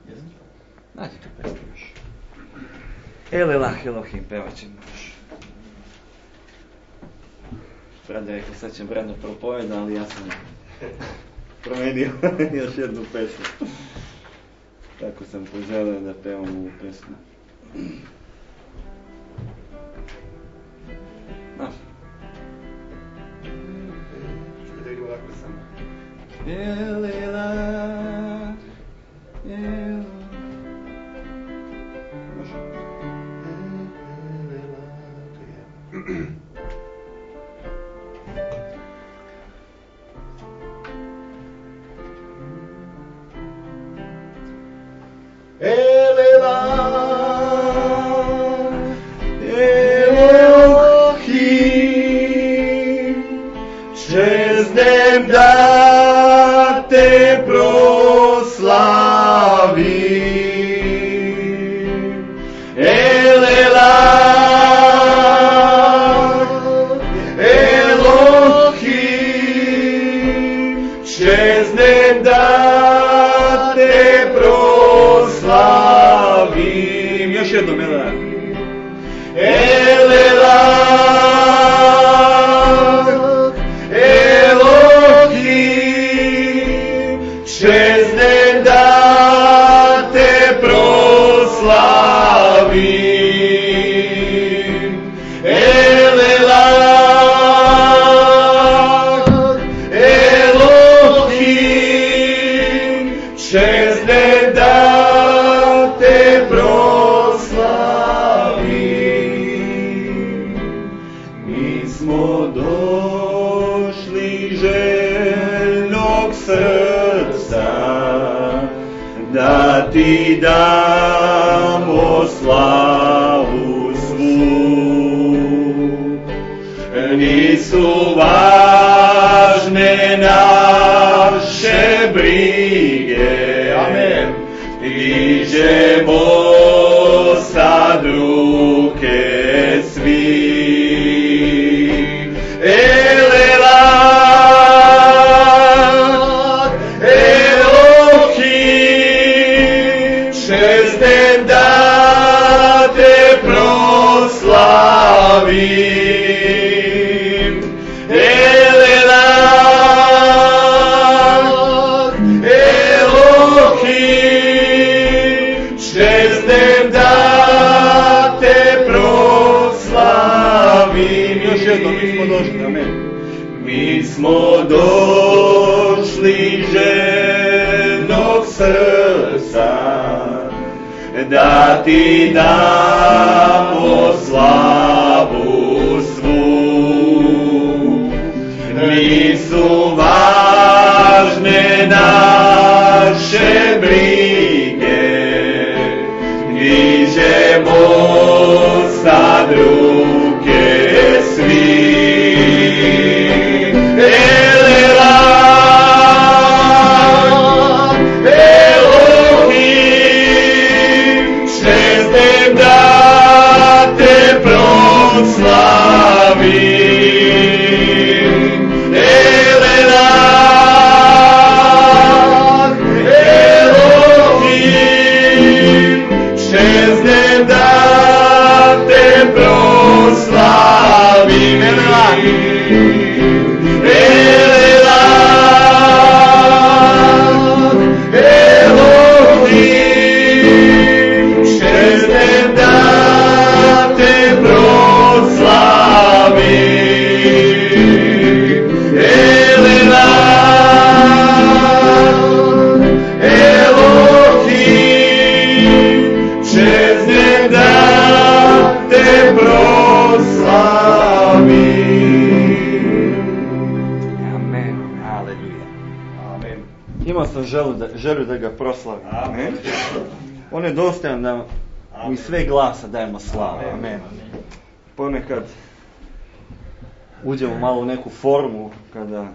pesmu? Nađite pesmu još. Elelah Elohim, pevat ćemo još. Brada rekao, sad će Brada propoveda, ali ja sam promenio još jednu pesmu. Tako sam poželio da pevam ovu pesmu. Da idemo ovako samo. Elelah, Elohim. Može? Čeznem da te proslavim. Elelah, Elohim, čeznem da te proslavim. Još jednom, Elelah. Čeznem da te proslavim. Elelah, Elohim, čeznem da te proslavim. Mi smo došli željnog srca da ti damo slavu svu. Nisu važne naše brige, amen, dižemo sad ruke svi. Elelah, Elohim, čeznem da te proslavim. Elelah, Elohim, čeznem da te proslavim. Još jednom, mi smo došli, amen. Mi smo došli željnog srca da ti damo slavu svu. Nisu važne naše brige, dižemo sad ruke svi. Elelah, Elohim, čeznem da te proslavim. Elelah, Elohim, čeznem da te proslavim. Elelah, Elohim, čeznem da te proslavim. Elelah, Elohim, čeznem da te proslavim. Amen, aleluja. Amen. Imao sam želju da ga proslavim. Amen. On je dostojan da mi sve glasa dajemo slavu. Amen. Ponekad uđemo malo u neku formu kada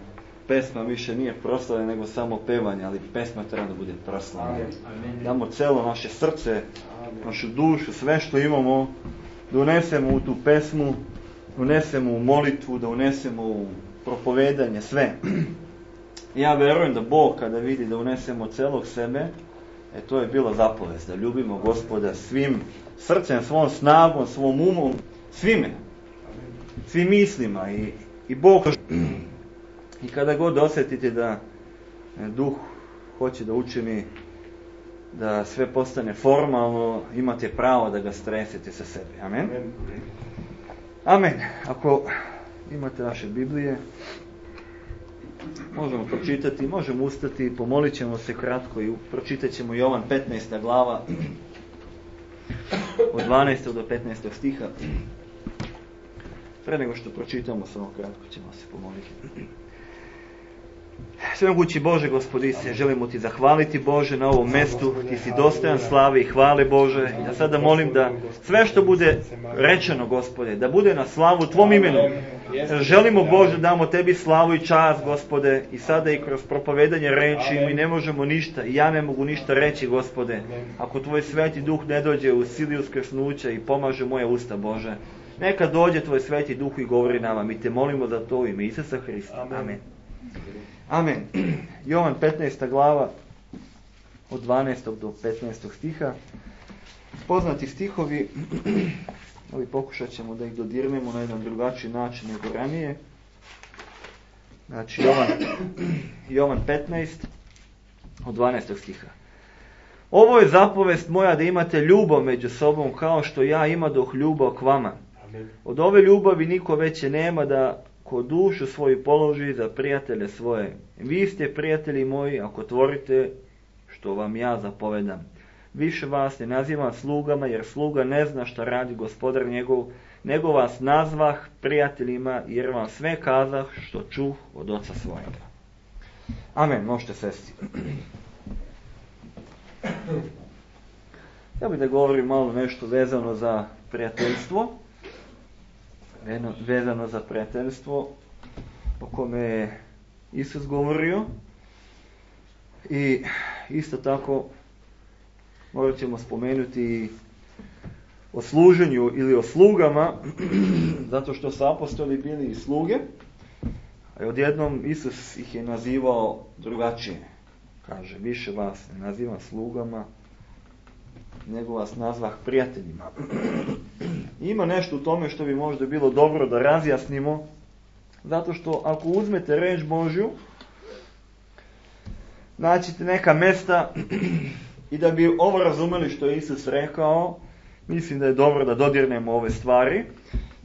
pesma više nije proslava nego samo pevanje, ali pesma treba da bude proslavljena. Damo celo naše srce, našu dušu, sve što imamo, da unesemo u tu pesmu, da unesemo u molitvu, da unesemo u propovedanje, sve. Ja verujem da Bog kada vidi da unesemo celog sebe, To je bila zapovest, da ljubimo Gospoda svim srcem, svom snagom, svom umom, svime, svim mislima i Bog. I kada god osjetite da duh hoće da učini da sve postane formalno, imate pravo da ga stresete sa sebe. Amen. Amen. Ako imate vaše Biblije, možemo pročitati, možemo ustati, pomolit ćemo se kratko i pročitat ćemo Jovan 15. glava od 12. do 15. stiha. Pre nego što pročitamo, samo kratko ćemo se pomoliti. Svemogući Bože, Gospodi se, želimo Ti zahvaliti, Bože, na ovom mestu. Ti si dostojan slave i hvale, Bože. Ja sada molim da sve što bude rečeno, Gospode, da bude na slavu Tvom imenu. Želimo, Bože, damo Tebi slavu i čast, Gospode, i sada i kroz propovedanje reči mi ne možemo ništa, i ja ne mogu ništa reći, Gospode, ako Tvoj Sveti Duh ne dođe u sili uskrsnuća i pomaže moje usta, Bože. Neka dođe Tvoj Sveti Duh i govori nama. Mi Te molimo za to u ime Isusa Hrista. Amen. Amen. Jovan 15. glava od 12. do 15. stiha. Poznati stihovi, ali pokušat ćemo da ih dodirnemo na jedan drugačiji način nego ranije. Znači Jovan 15. od 12. stiha. Ovo je zapovest moja, da imate ljubav među sobom kao što ja imadoh ljubav k vama. Od ove ljubavi niko veće nema, da ko dušu svoju položi za prijatelje svoje. Vi ste prijatelji moji ako tvorite što vam ja zapovedam. Više vas ne nazivam slugama, jer sluga ne zna šta radi gospodar njegov, nego vas nazvah prijateljima, jer vam sve kazah što čuh od oca svojega. Amen, možete sesti. Ja bih da govorim malo nešto vezano za prijateljstvo. Vezano za prijateljstvo o kome je Isus govorio. I isto tako morat ćemo spomenuti o služenju ili o slugama, zato što su apostoli bili i sluge, a odjednom Isus ih je nazivao drugačije. Kaže, više vas ne nazivam slugama, nego vas nazvah prijateljima. Ima nešto u tome što bi možda bilo dobro da razjasnimo, zato što ako uzmete reč Božju, naćete neka mesta i da bi ovo razumeli što je Isus rekao, mislim da je dobro da dodirnemo ove stvari.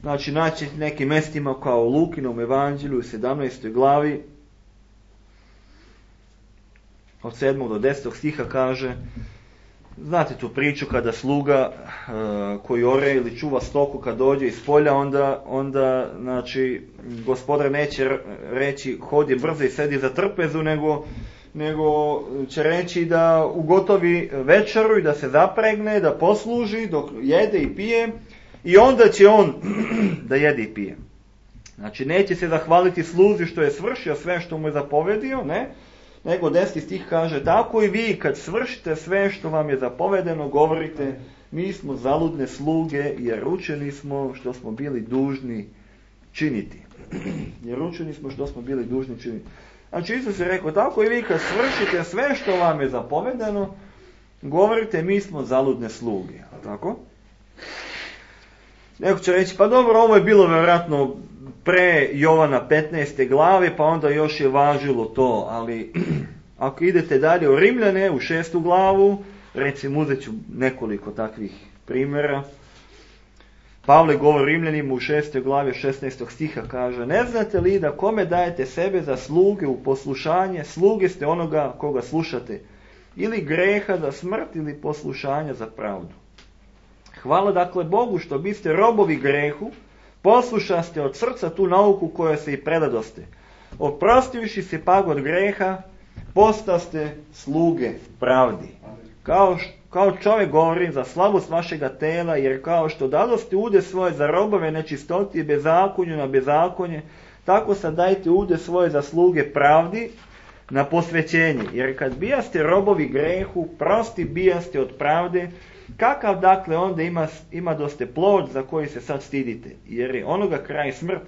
Znači, naćete nekim mestima kao u Lukinom evanđelju u 17. glavi, od 7. do 10. stiha kaže, znate tu priču kada sluga koji ore ili čuva stoku kad dođe iz polja, onda znači, gospodar neće reći hodi brzo i sedi za trpezu, nego će reći da ugotovi večeru i da se zapregne, da posluži dok jede i pije i onda će on da jede i pije. Znači, neće se zahvaliti sluzi što je svršio sve što mu je zapovedio, ne? Nego 10. stih kaže, tako i vi kad svršite sve što vam je zapovedeno, govorite, mi smo zaludne sluge jer učeni smo što smo bili dužni činiti. Jer učeni smo što smo bili dužni činiti. Znači, Isus je rekao, tako i vi kad svršite sve što vam je zapovedeno, govorite, mi smo zaludne sluge. Tako? Neko će reći, pa dobro, ovo je bilo vjerojatno pre Jovana 15. glave, pa onda još je važilo to, ali ako idete dalje u Rimljane, u 6. glavu, recimo uzet ću nekoliko takvih primjera. Pavle govori Rimljanima u 6. glavi 16. stiha, kaže, ne znate li da kome dajete sebe za sluge u poslušanje, sluge ste onoga koga slušate, ili greha za smrt ili poslušanja za pravdu. Hvala dakle Bogu što biste robovi grehu, poslušaste od srca tu nauku koja se i predadoste. Oprostivši se pak od greha, postaste sluge pravdi. Kao čovjek govori za slabost vašega tela, jer kao što dadoste ude svoje za robove nečistoti i bezakonju na bezakonje, tako sad dajte ude svoje za sluge pravdi na posvećenje. Jer kad bijaste robovi grehu, prosti bijaste od pravde, kakav dakle onda ima doste plod za koji se sad stidite, jer je onoga kraj smrt.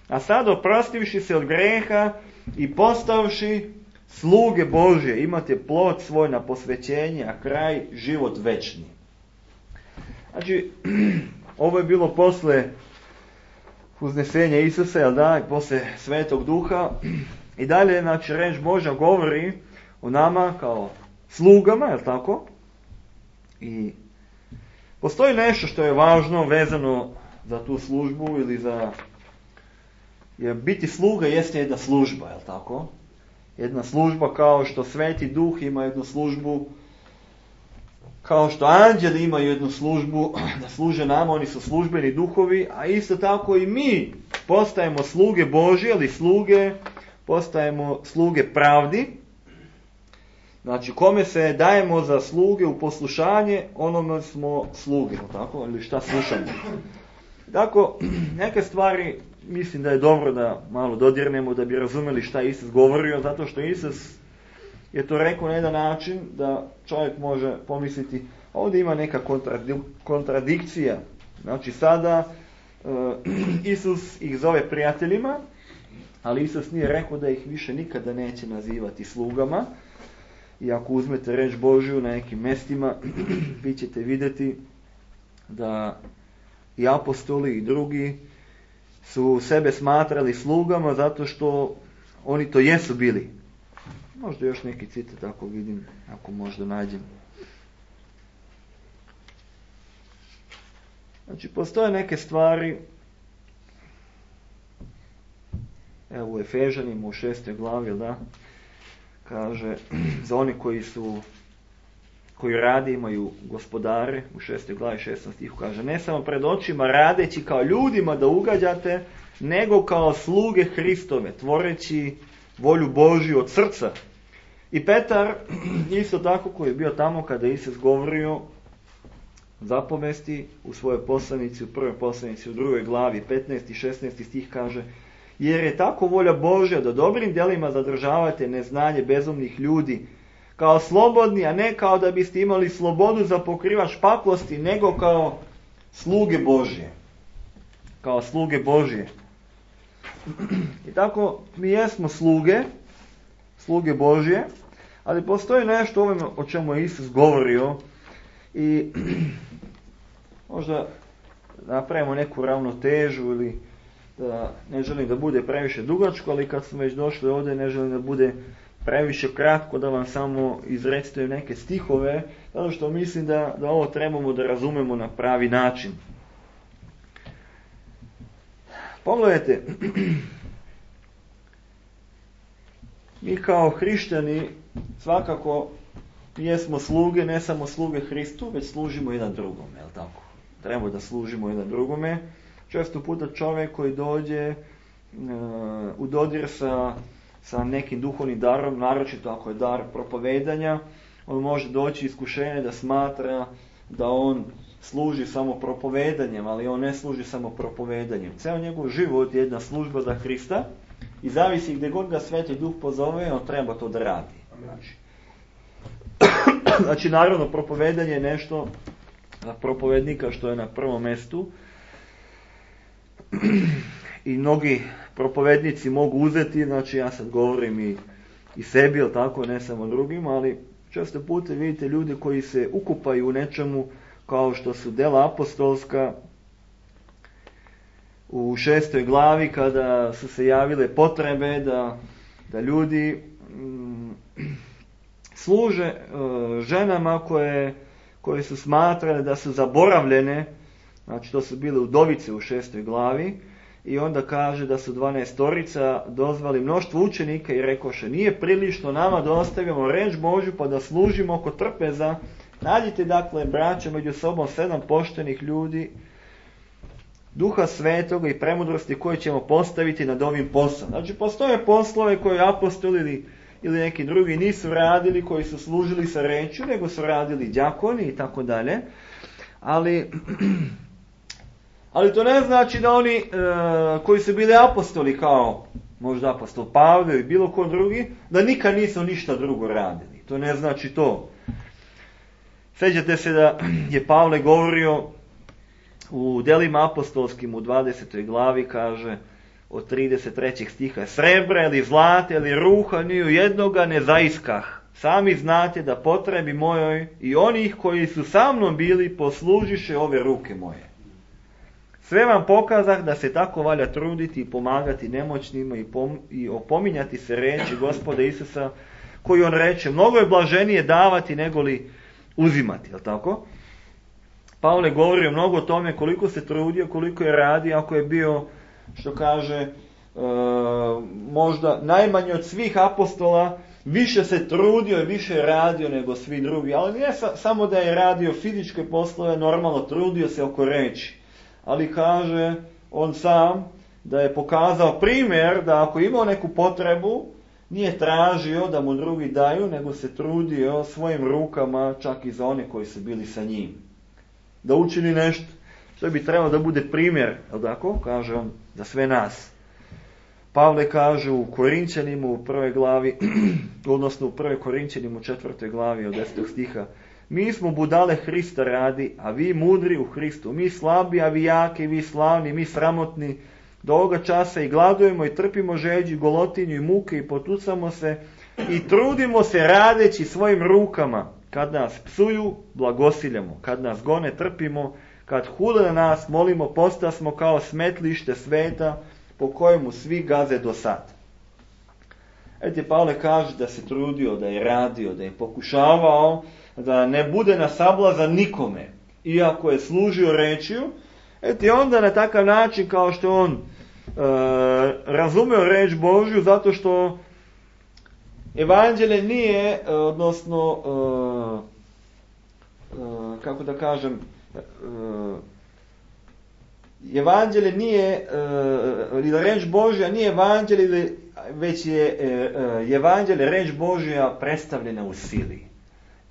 A sad oprostivši se od greha i postavši sluge Božje, imate plod svoj na posvećenje, a kraj život večni. Znači, ovo je bilo posle uznesenja Isusa, jel da, posle Svetog Duha. I dalje, znači, reč Božja govori o nama kao slugama, jel tako? I postoji nešto što je važno vezano za tu službu ili za... Jer biti sluga jeste jedna služba, jel tako? Jedna služba kao što Sveti Duh ima jednu službu, kao što anđeli imaju jednu službu da služe nama, oni su službeni duhovi, a isto tako i mi postajemo sluge Božje, ali postajemo sluge pravdi. Znači, kome se dajemo za sluge u poslušanje, onome smo sluge, tako? Ili šta slušamo. Tako, neke stvari mislim da je dobro da malo dodirnemo, da bi razumeli šta Isus govorio, zato što Isus je to rekao na jedan način da čovjek može pomisliti, ovdje ima neka kontradikcija. Znači, sada Isus ih zove prijateljima, ali Isus nije rekao da ih više nikada neće nazivati slugama. I ako uzmete reč Božju na nekim mjestima, vi ćete vidjeti da i apostoli i drugi su sebe smatrali slugama zato što oni to jesu bili. Možda još neki citat ako vidim, ako možda nađem. Znači, postoje neke stvari, evo u Efežanima u 6. glavi, da, kaže, za oni koji rade imaju gospodare, u 6. glavi 16. stihu kaže, ne samo pred očima radeći kao ljudima da ugađate, nego kao sluge Hristove, tvoreći volju Božju od srca. I Petar, isto tako koji je bio tamo kada je Isus govorio zapovesti u svojoj poslanici, u prvoj poslanici, u 2. glavi 15. i 16. stih kaže, jer je tako volja Božja da dobrim djelima zadržavate neznanje bezumnih ljudi, kao slobodni, a ne kao da biste imali slobodu za pokrivač paklosti, nego kao sluge Božje. Kao sluge Božje. I tako, mi jesmo sluge Božje, ali postoji nešto ovome o čemu je Isus govorio i možda napravimo neku ravnotežu ili da ne želim da bude previše dugačko, ali kad smo već došli ovdje ne želim da bude previše kratko, da vam samo izrecitujem neke stihove, zato što mislim da ovo trebamo da razumemo na pravi način. Pogledajte, mi kao hrišćani svakako jesmo sluge, ne samo sluge Hristu, već služimo jedan drugome, jel tako? Treba da služimo jedan drugome. Često puta čovjek koji dođe u dodir sa nekim duhovnim darom, naročito ako je dar propovedanja, on može doći iskušenje da smatra da on služi samo propovedanjem, ali on ne služi samo propovedanjem. Ceo njegov život je jedna služba za Hrista i zavisi gdje god ga Sveti Duh pozove, on treba to da radi. Znači, naravno, propovedanje je nešto za propovednika što je na prvom mjestu. I mnogi propovednici mogu uzeti, znači ja sad govorim i sebi, ili tako, ne samo drugim, ali često puta vidite ljude koji se ukupaju u nečemu kao što su dela apostolska u 6. glavi kada su se javile potrebe da ljudi služe ženama koje su smatrane da su zaboravljene. Znači, to su bile udovice u 6. glavi i onda kaže da su 12 dozvali mnoštvo učenika i rekoše, nije prilično nama da ostavimo reč Božju pa da služimo oko trpeza. Nađite, dakle, braće, među sobom 7 poštenih ljudi, Duha Svetoga i premudrosti koje ćemo postaviti nad ovim poslom. Znači, postoje poslove koje apostoli ili neki drugi nisu radili, koji su služili sa rečju, nego su radili đakoni i tako dalje. Ali to ne znači da oni koji su bili apostoli, kao možda apostol Pavle ili bilo ko drugi, da nikad nisu ništa drugo radili. To ne znači to. Sjećate se da je Pavle govorio u delima apostolskim u 20. glavi, kaže, od 33. stiha. Srebra ili zlata ili ruha ni u jednoga ne zaiskah. Sami znate da potrebi mojoj i onih koji su sa mnom bili poslužiše ove ruke moje. Sve vam pokazah da se tako valja truditi i pomagati nemoćnima i opominjati se reči Gospoda Isusa, koji on reče, mnogo je blaženije davati nego li uzimati, jel tako? Pavle govori mnogo o tome koliko se trudio, koliko je radio, ako je bio, što kaže, možda najmanje od svih apostola, više se trudio i više je radio nego svi drugi. Ali nije samo da je radio fizičke poslove, normalno trudio se oko reči. Ali kaže on sam da je pokazao primjer da ako imao neku potrebu, nije tražio da mu drugi daju, nego se trudio svojim rukama, čak i za one koji su bili sa njim. Da učini nešto što bi trebalo da bude primjer, jel tako? Kaže on za sve nas. Pavle kaže u Korinčanima u 1. glavi, odnosno u 1. Korinčanima u 4. glavi od 10. stiha. Mi smo budale Hrista radi, a vi mudri u Hristu. Mi slabi, a vi jaki, vi slavni, mi sramotni. Do ovoga časa i gladujemo i trpimo žeđu, golotinju i muke i potucamo se i trudimo se radeći svojim rukama. Kad nas psuju, blagosiljamo. Kad nas gone, trpimo. Kad hule na nas, molimo, postasmo kao smetlište sveta po kojemu svi gaze do sad. Eto, Pavle kaže da se trudio, da je radio, da je pokušavao da ne bude na sablazan nikome, iako je služio rečju. Eto, onda na takav način kao što on razumeo reč Božju, zato što evanđelje nije, odnosno, kako da kažem, evanđelje nije, ili reč Božja nije evanđelje, već je evanđelje, reč Božja predstavljena u sili.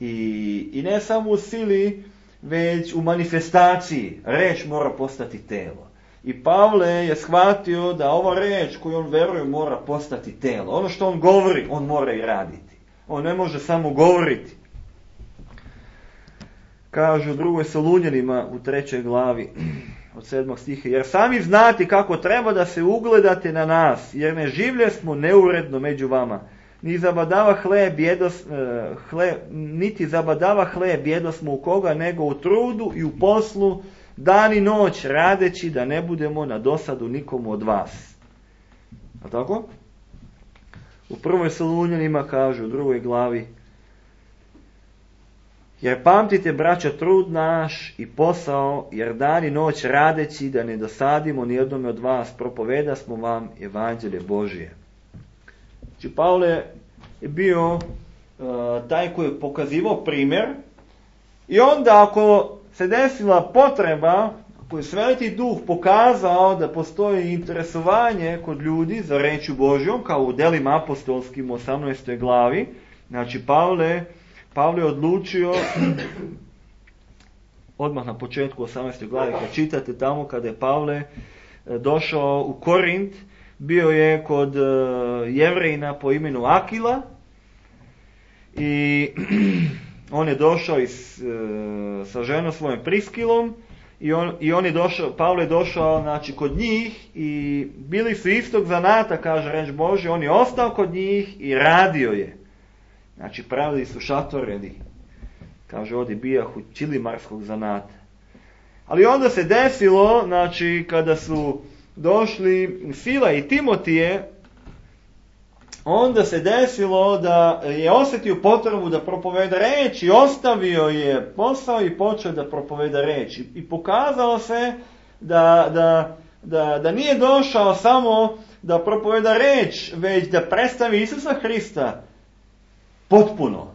I ne samo u sili, već u manifestaciji. Reč mora postati telo. I Pavle je shvatio da ova reč koju on veruje mora postati telo. Ono što on govori, on mora i raditi. On ne može samo govoriti. Kažu u 2. Solunjanima u 3. glavi od 7. stiha. Jer sami znate kako treba da se ugledate na nas, jer ne življe smo neuredno među vama. Niti zabadava hleb jedosmo u koga, nego u trudu i u poslu, dan i noć, radeći da ne budemo na dosadu nikomu od vas. A tako? U 1. Solunjanima kažu u 2. glavi, jer pamtite, braća, trud naš i posao, jer dan i noć radeći da ne dosadimo nijednome od vas, propoveda smo vam evanđelje Božije. Znači, Pavle je bio taj koji je pokazivao primjer i onda ako se desila potreba, ako je Sveti Duh pokazao da postoji interesovanje kod ljudi za rečju Božjom, kao u Delima apostolskim u 18. glavi, znači Pavle je odlučio, odmah na početku 18. glavi, kad čitate tamo kada je Pavle došao u Korint, bio je kod Jevrejina po imenu Akila i on je došao sa ženom svojom Priskilom i on je došao, Pavle je došao, znači, kod njih i bili su istog zanata, kaže reč Božja, on je ostao kod njih i radio je. Znači, pravili su šatoredi, kaže ovdje bijahu čilimarskog zanata. Ali onda se desilo, znači, kada su došli Sila i Timotije, onda se desilo da je osjetio potrebu da propoveda reč i ostavio je posao i počeo da propoveda reč. I pokazalo se da nije došao samo da propoveda reč, već da predstavi Isusa Hrista potpuno.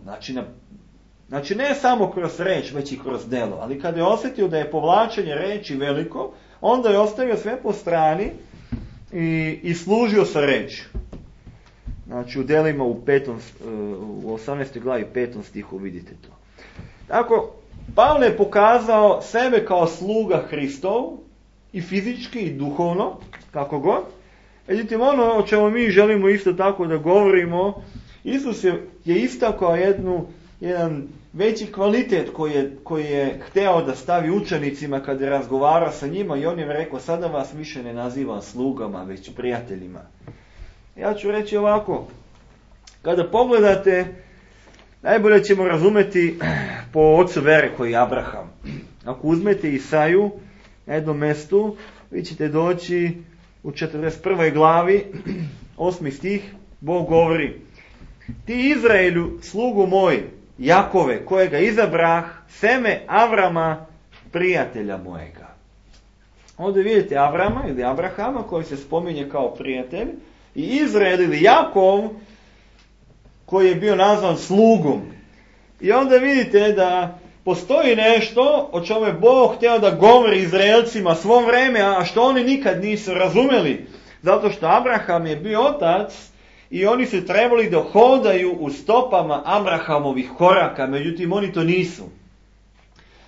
Znači ne samo kroz reč, već i kroz delo. Ali kada je osjetio da je povlačenje reči veliko, onda je ostavio sve po strani i služio sa reči. Znači u Delima u 18. glavi 5. stihu vidite to. Tako, Pavle je pokazao sebe kao sluga Hristov, i fizički i duhovno, kako god. Međutim, ono o čemu mi želimo isto tako da govorimo, Isus je istakao veći kvalitet koji je hteo da stavi učenicima kad je razgovarao sa njima i on je rekao, sada vas više ne nazivam slugama, već prijateljima. Ja ću reći ovako, kada pogledate, najbolje ćemo razumeti po ocu vere koji je Abraham. Ako uzmete Isaju na jednom mestu, vi ćete doći u 41. glavi, 8. stih, Bog govori: ti Izraelju, slugu moj, Jakove, kojega izabrah, seme Avrama, prijatelja mojega. Ovdje vidite Avrama ili Abrahama koji se spominje kao prijatelj i Izrael ili Jakov koji je bio nazvan slugom. I onda vidite da postoji nešto o čemu je Bog htio da govori Izraelcima svo vreme, a što oni nikad nisu razumeli. Zato što Abraham je bio otac i oni su trebali da hodaju u stopama Abrahamovih koraka, međutim oni to nisu.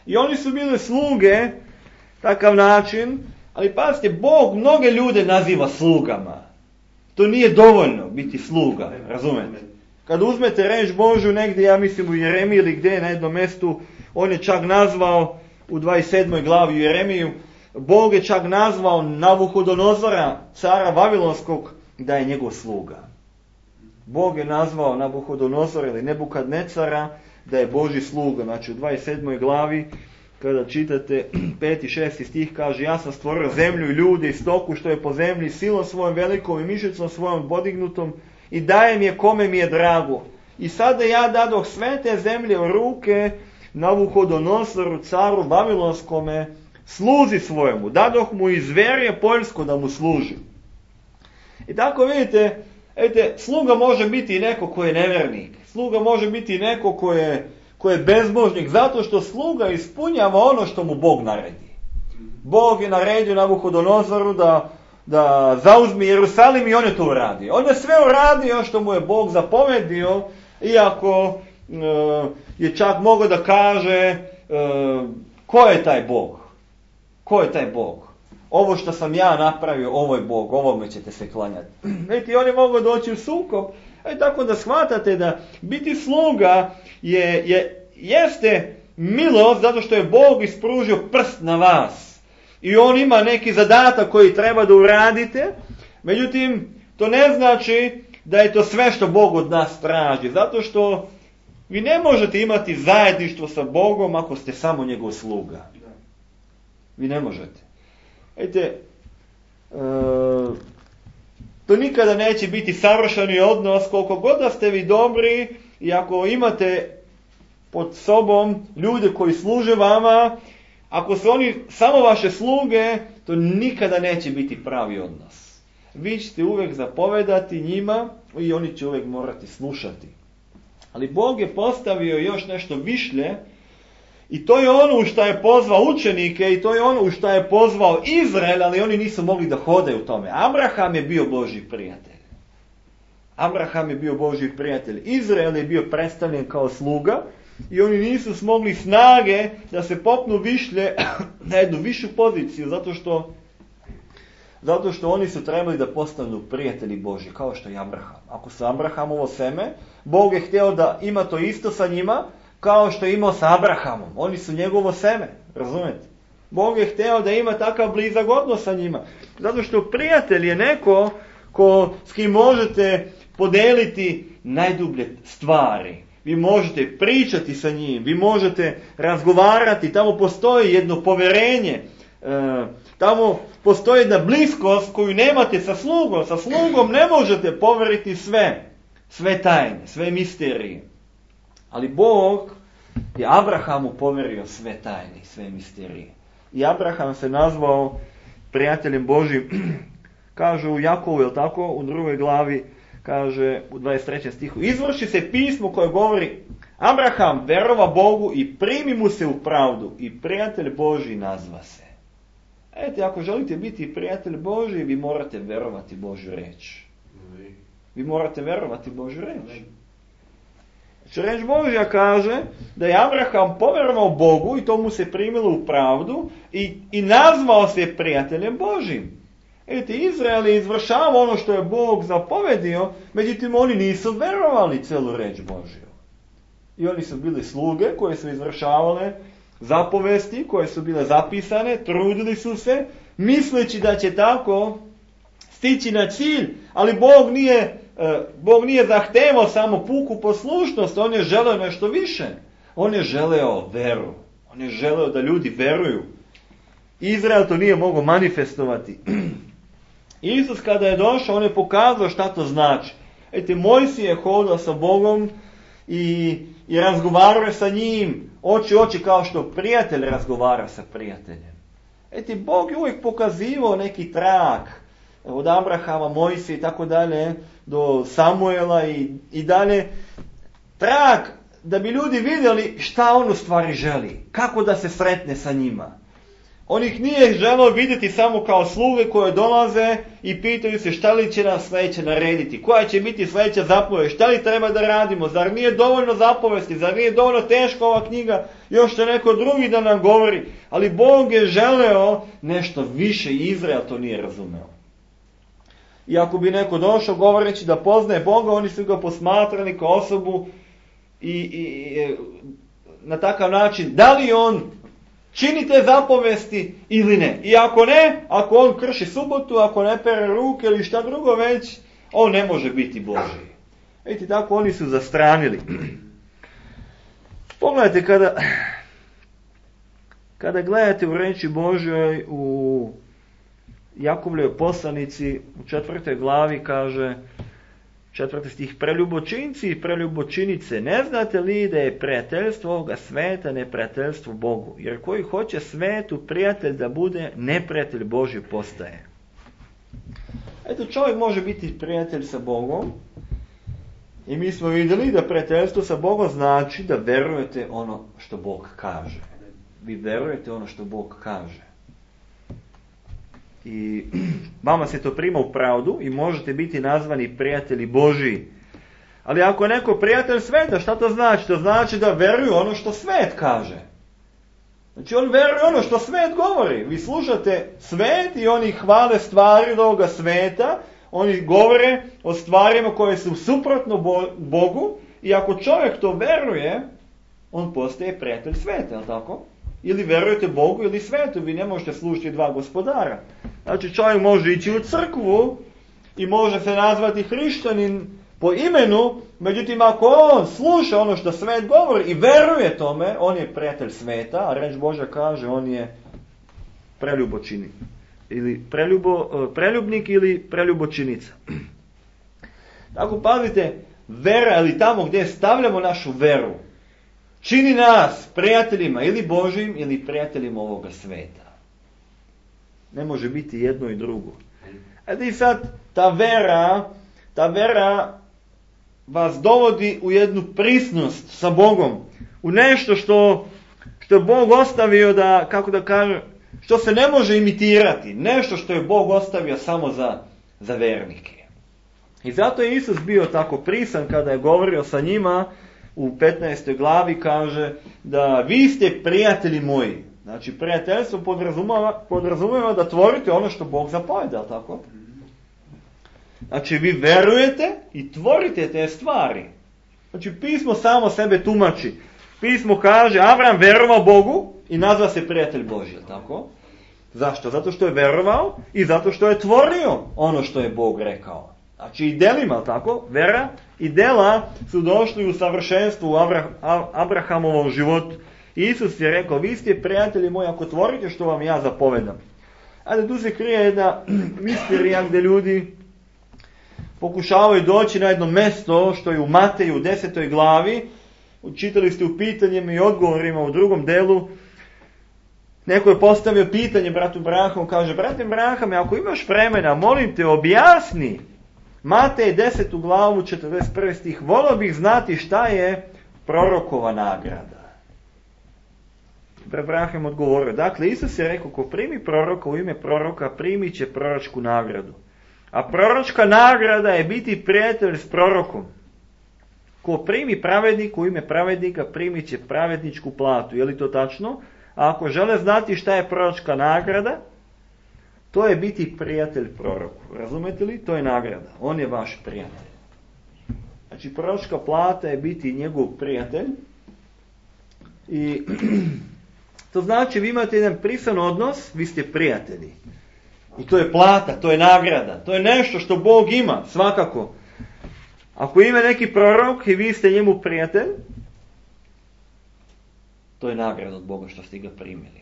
I oni su bili sluge, takav način, ali pazite, Bog mnoge ljude naziva slugama. To nije dovoljno biti sluga, razumete? Kad uzmete reč Božju negdje, ja mislim u Jeremiji ili gdje na jednom mjestu, on je čak nazvao u 27. glavi u Jeremiju, Bog je čak nazvao Nabuhodonozora, cara Vavilonskog, da je njegov sluga. Bog je nazvao Nabuhodonozora ili Nebukadnecara da je Božji sluga. Znači u 27. glavi kada čitate 5. i 6. stih kaže: ja sam stvorio zemlju i ljude i stoku što je po zemlji, silom svojom velikom i mišicom svojom podignutom i dajem je kome mi je drago. I sada ja dadoh sve te zemlje u ruke Nabuhodonosoru, caru Vavilonskome, sluzi svojemu. Dadoh mu i zverje poljsko da mu služi. I tako vidite, sluga može biti i neko ko je nevjernik. Sluga može biti i neko ko je bezbožnik, zato što sluga ispunjava ono što mu Bog naredi. Bog je naredio Nabuhodonozoru da zauzmi Jerusalim i on je to uradio. On je sve uradio što mu je Bog zapovedio, iako je čak mogao da kaže ko je taj Bog? Ko je taj Bog? Ovo što sam ja napravio, ovo je Bog, ovome ćete se klanjati. Vidite, oni mogu doći u sukob. Tako da shvatate da biti sluga jeste milost zato što je Bog ispružio prst na vas. I on ima neki zadatak koji treba da uradite. Međutim, to ne znači da je to sve što Bog od nas traži. Zato što vi ne možete imati zajedništvo sa Bogom ako ste samo njegov sluga. Vi ne možete. Vidite, to nikada neće biti savršeni odnos koliko god da ste vi dobri i ako imate pod sobom ljude koji služe vama, ako su oni samo vaše sluge, to nikada neće biti pravi odnos. Vi ćete uvijek zapovedati njima i oni će uvijek morati slušati. Ali Bog je postavio još nešto višlje i to je ono u što je pozvao učenike i to je ono u što je pozvao Izrael, ali oni nisu mogli da hode u tome. Abraham je bio Božji prijatelj. Abraham je bio Božji prijatelj. Izrael je bio predstavljen kao sluga i oni nisu smogli snage da se popnu višlje na jednu višu poziciju, zato što oni su trebali da postanu prijatelji Božji, kao što je Abraham. Ako su Abrahamovo seme, Bog je htio da ima to isto sa njima, kao što je imao sa Abrahamom. Oni su njegovo seme, razumete? Bog je htio da ima takav blizak odnos sa njima. Zato što prijatelj je neko s kim možete podeliti najdublje stvari. Vi možete pričati sa njim, vi možete razgovarati, tamo postoji jedno povjerenje, tamo postoji jedna bliskost koju nemate sa slugom. Sa slugom ne možete poveriti sve tajne, sve misterije. Ali Bog je Abrahamu poverio sve tajne, sve misterije. I Abraham se nazvao prijateljem Božjim. Kaže u Jakovu, je li tako? U 2. glavi kaže u 23. stihu: izvrši se pismo koje govori: Abraham verova Bogu i primi mu se u pravdu i prijatelj Božji nazva se. Ako želite biti prijatelj Božji, vi morate verovati Božju reč. Vi morate verovati Božju reč. Znači, reč Božja kaže da je Abraham povjerovao Bogu i to mu se primilo u pravdu i nazvao se prijateljem Božjim. Izrael je izvršavao ono što je Bog zapovedio, međutim oni nisu verovali celu reč Božju. I oni su bili sluge koje su izvršavale zapovesti, koje su bile zapisane, trudili su se, misleći da će tako stići na cilj, ali Bog nije zahtevao samo puku poslušnost, on je želeo nešto više. On je želeo veru. On je želeo da ljudi veruju. Izrael to nije mogao manifestovati. Isus kada je došao, on je pokazao šta to znači. Mojsije je hodao sa Bogom i razgovarao je sa njim, oči u oči, kao što prijatelj razgovara sa prijateljem. Bog je uvijek pokazivao neki trak od Abrahama, Mojsije i tako dalje, do Samuela i dalje. Trak da bi ljudi vidjeli šta on u stvari želi, kako da se sretne sa njima. On ih nije želeo vidjeti samo kao sluge koje dolaze i pitaju se šta li će nas sljedeće narediti, koja će biti sljedeća zapovest, šta li treba da radimo, zar nije dovoljno zapovesti, zar nije dovoljno teška ova knjiga, još će neko drugi da nam govori. Ali Bog je želeo nešto više i Izrael to nije razumeo. I ako bi neko došao govoreći da poznaje Boga, oni su ga posmatrali kao osobu i na takav način, da li on čini te zapovesti ili ne. I ako ne, ako on krši subotu, ako ne pere ruke ili šta drugo već, on ne može biti Božji. Vidite, tako oni su zastranili. Pogledajte, kada gledate u reči Božjoj u Jakobljevoj poslanici u 4. glavi kaže 4. stih: preljubočinci i preljubočinice, ne znate li da je prijateljstvo ovoga sveta neprijateljstvo Bogu? Jer koji hoće svetu prijatelj da bude, neprijatelj Božji postaje. Čovjek može biti prijatelj sa Bogom i mi smo vidjeli da prijateljstvo sa Bogom znači da verujete ono što Bog kaže. Vi verujete ono što Bog kaže. I vama se to prima u pravdu i možete biti nazvani prijatelji Božji. Ali ako je neko prijatelj sveta, šta to znači? To znači da veruju ono što svet kaže. Znači on veruje ono što svet govori. Vi slušate svet i oni hvale stvari od ovoga sveta. Oni govore o stvarima koje su suprotno Bogu. I ako čovjek to veruje, on postaje prijatelj sveta, je li tako? Ili verujete Bogu ili svetu, vi ne možete slušati dva gospodara. Znači čovjek može ići u crkvu i može se nazvati hrišćanin po imenu, međutim ako on sluša ono što svet govori i veruje tome, on je prijatelj sveta, a reč Božja kaže on je preljubočinik. Ili preljubnik ili preljubočinica. Tako pazite, vera ili tamo gdje stavljamo našu veru, čini nas prijateljima ili Božjim ili prijateljima ovoga sveta. Ne može biti jedno i drugo. I sad ta vera vas dovodi u jednu prisnost sa Bogom. U nešto što je Bog ostavio da, kako da kažem, što se ne može imitirati. Nešto što je Bog ostavio samo za vernike. I zato je Isus bio tako prisan kada je govorio sa njima. U 15. glavi kaže da vi ste prijatelji moji. Znači prijateljstvo podrazumijeva da tvorite ono što Bog zapoveda, tako? Znači vi verujete i tvorite te stvari. Znači pismo samo sebe tumači. Pismo kaže Avram verovao Bogu i nazva se prijatelj Božji, tako? Zašto? Zato što je verovao i zato što je tvorio ono što je Bog rekao. Znači i delima, tako? Vera i dela su došli u savršenstvu u Abrahamovom životu. Isus je rekao, vi ste prijatelji moji ako tvorite što vam ja zapovedam. Ali tu se krije jedna misterija gdje ljudi pokušavaju doći na jedno mjesto što je u Mateju u 10. glavi. Čitali ste u pitanjima i odgovorima u drugom delu. Neko je postavio pitanje bratu Brahamu, kaže, brate Brahame, ako imaš vremena, molim te, objasni Matej 10. glavu 41. stih, volio bih znati šta je prorokova nagrada. Braham odgovorio, dakle, Isus je rekao, ko primi proroka u ime proroka, primit će proročku nagradu. A proročka nagrada je biti prijatelj s prorokom. Ko primi pravednik u ime pravednika, primit će pravedničku platu. Je li to tačno? A ako žele znati šta je proročka nagrada, to je biti prijatelj proroku. Razumete li? To je nagrada. On je vaš prijatelj. Znači, proročka plata je biti njegov prijatelj. I to znači, vi imate jedan prisan odnos, vi ste prijatelji. I to je plata, to je nagrada, to je nešto što Bog ima, svakako. Ako ima neki prorok i vi ste njemu prijatelj, to je nagrada od Boga što ste ga primili.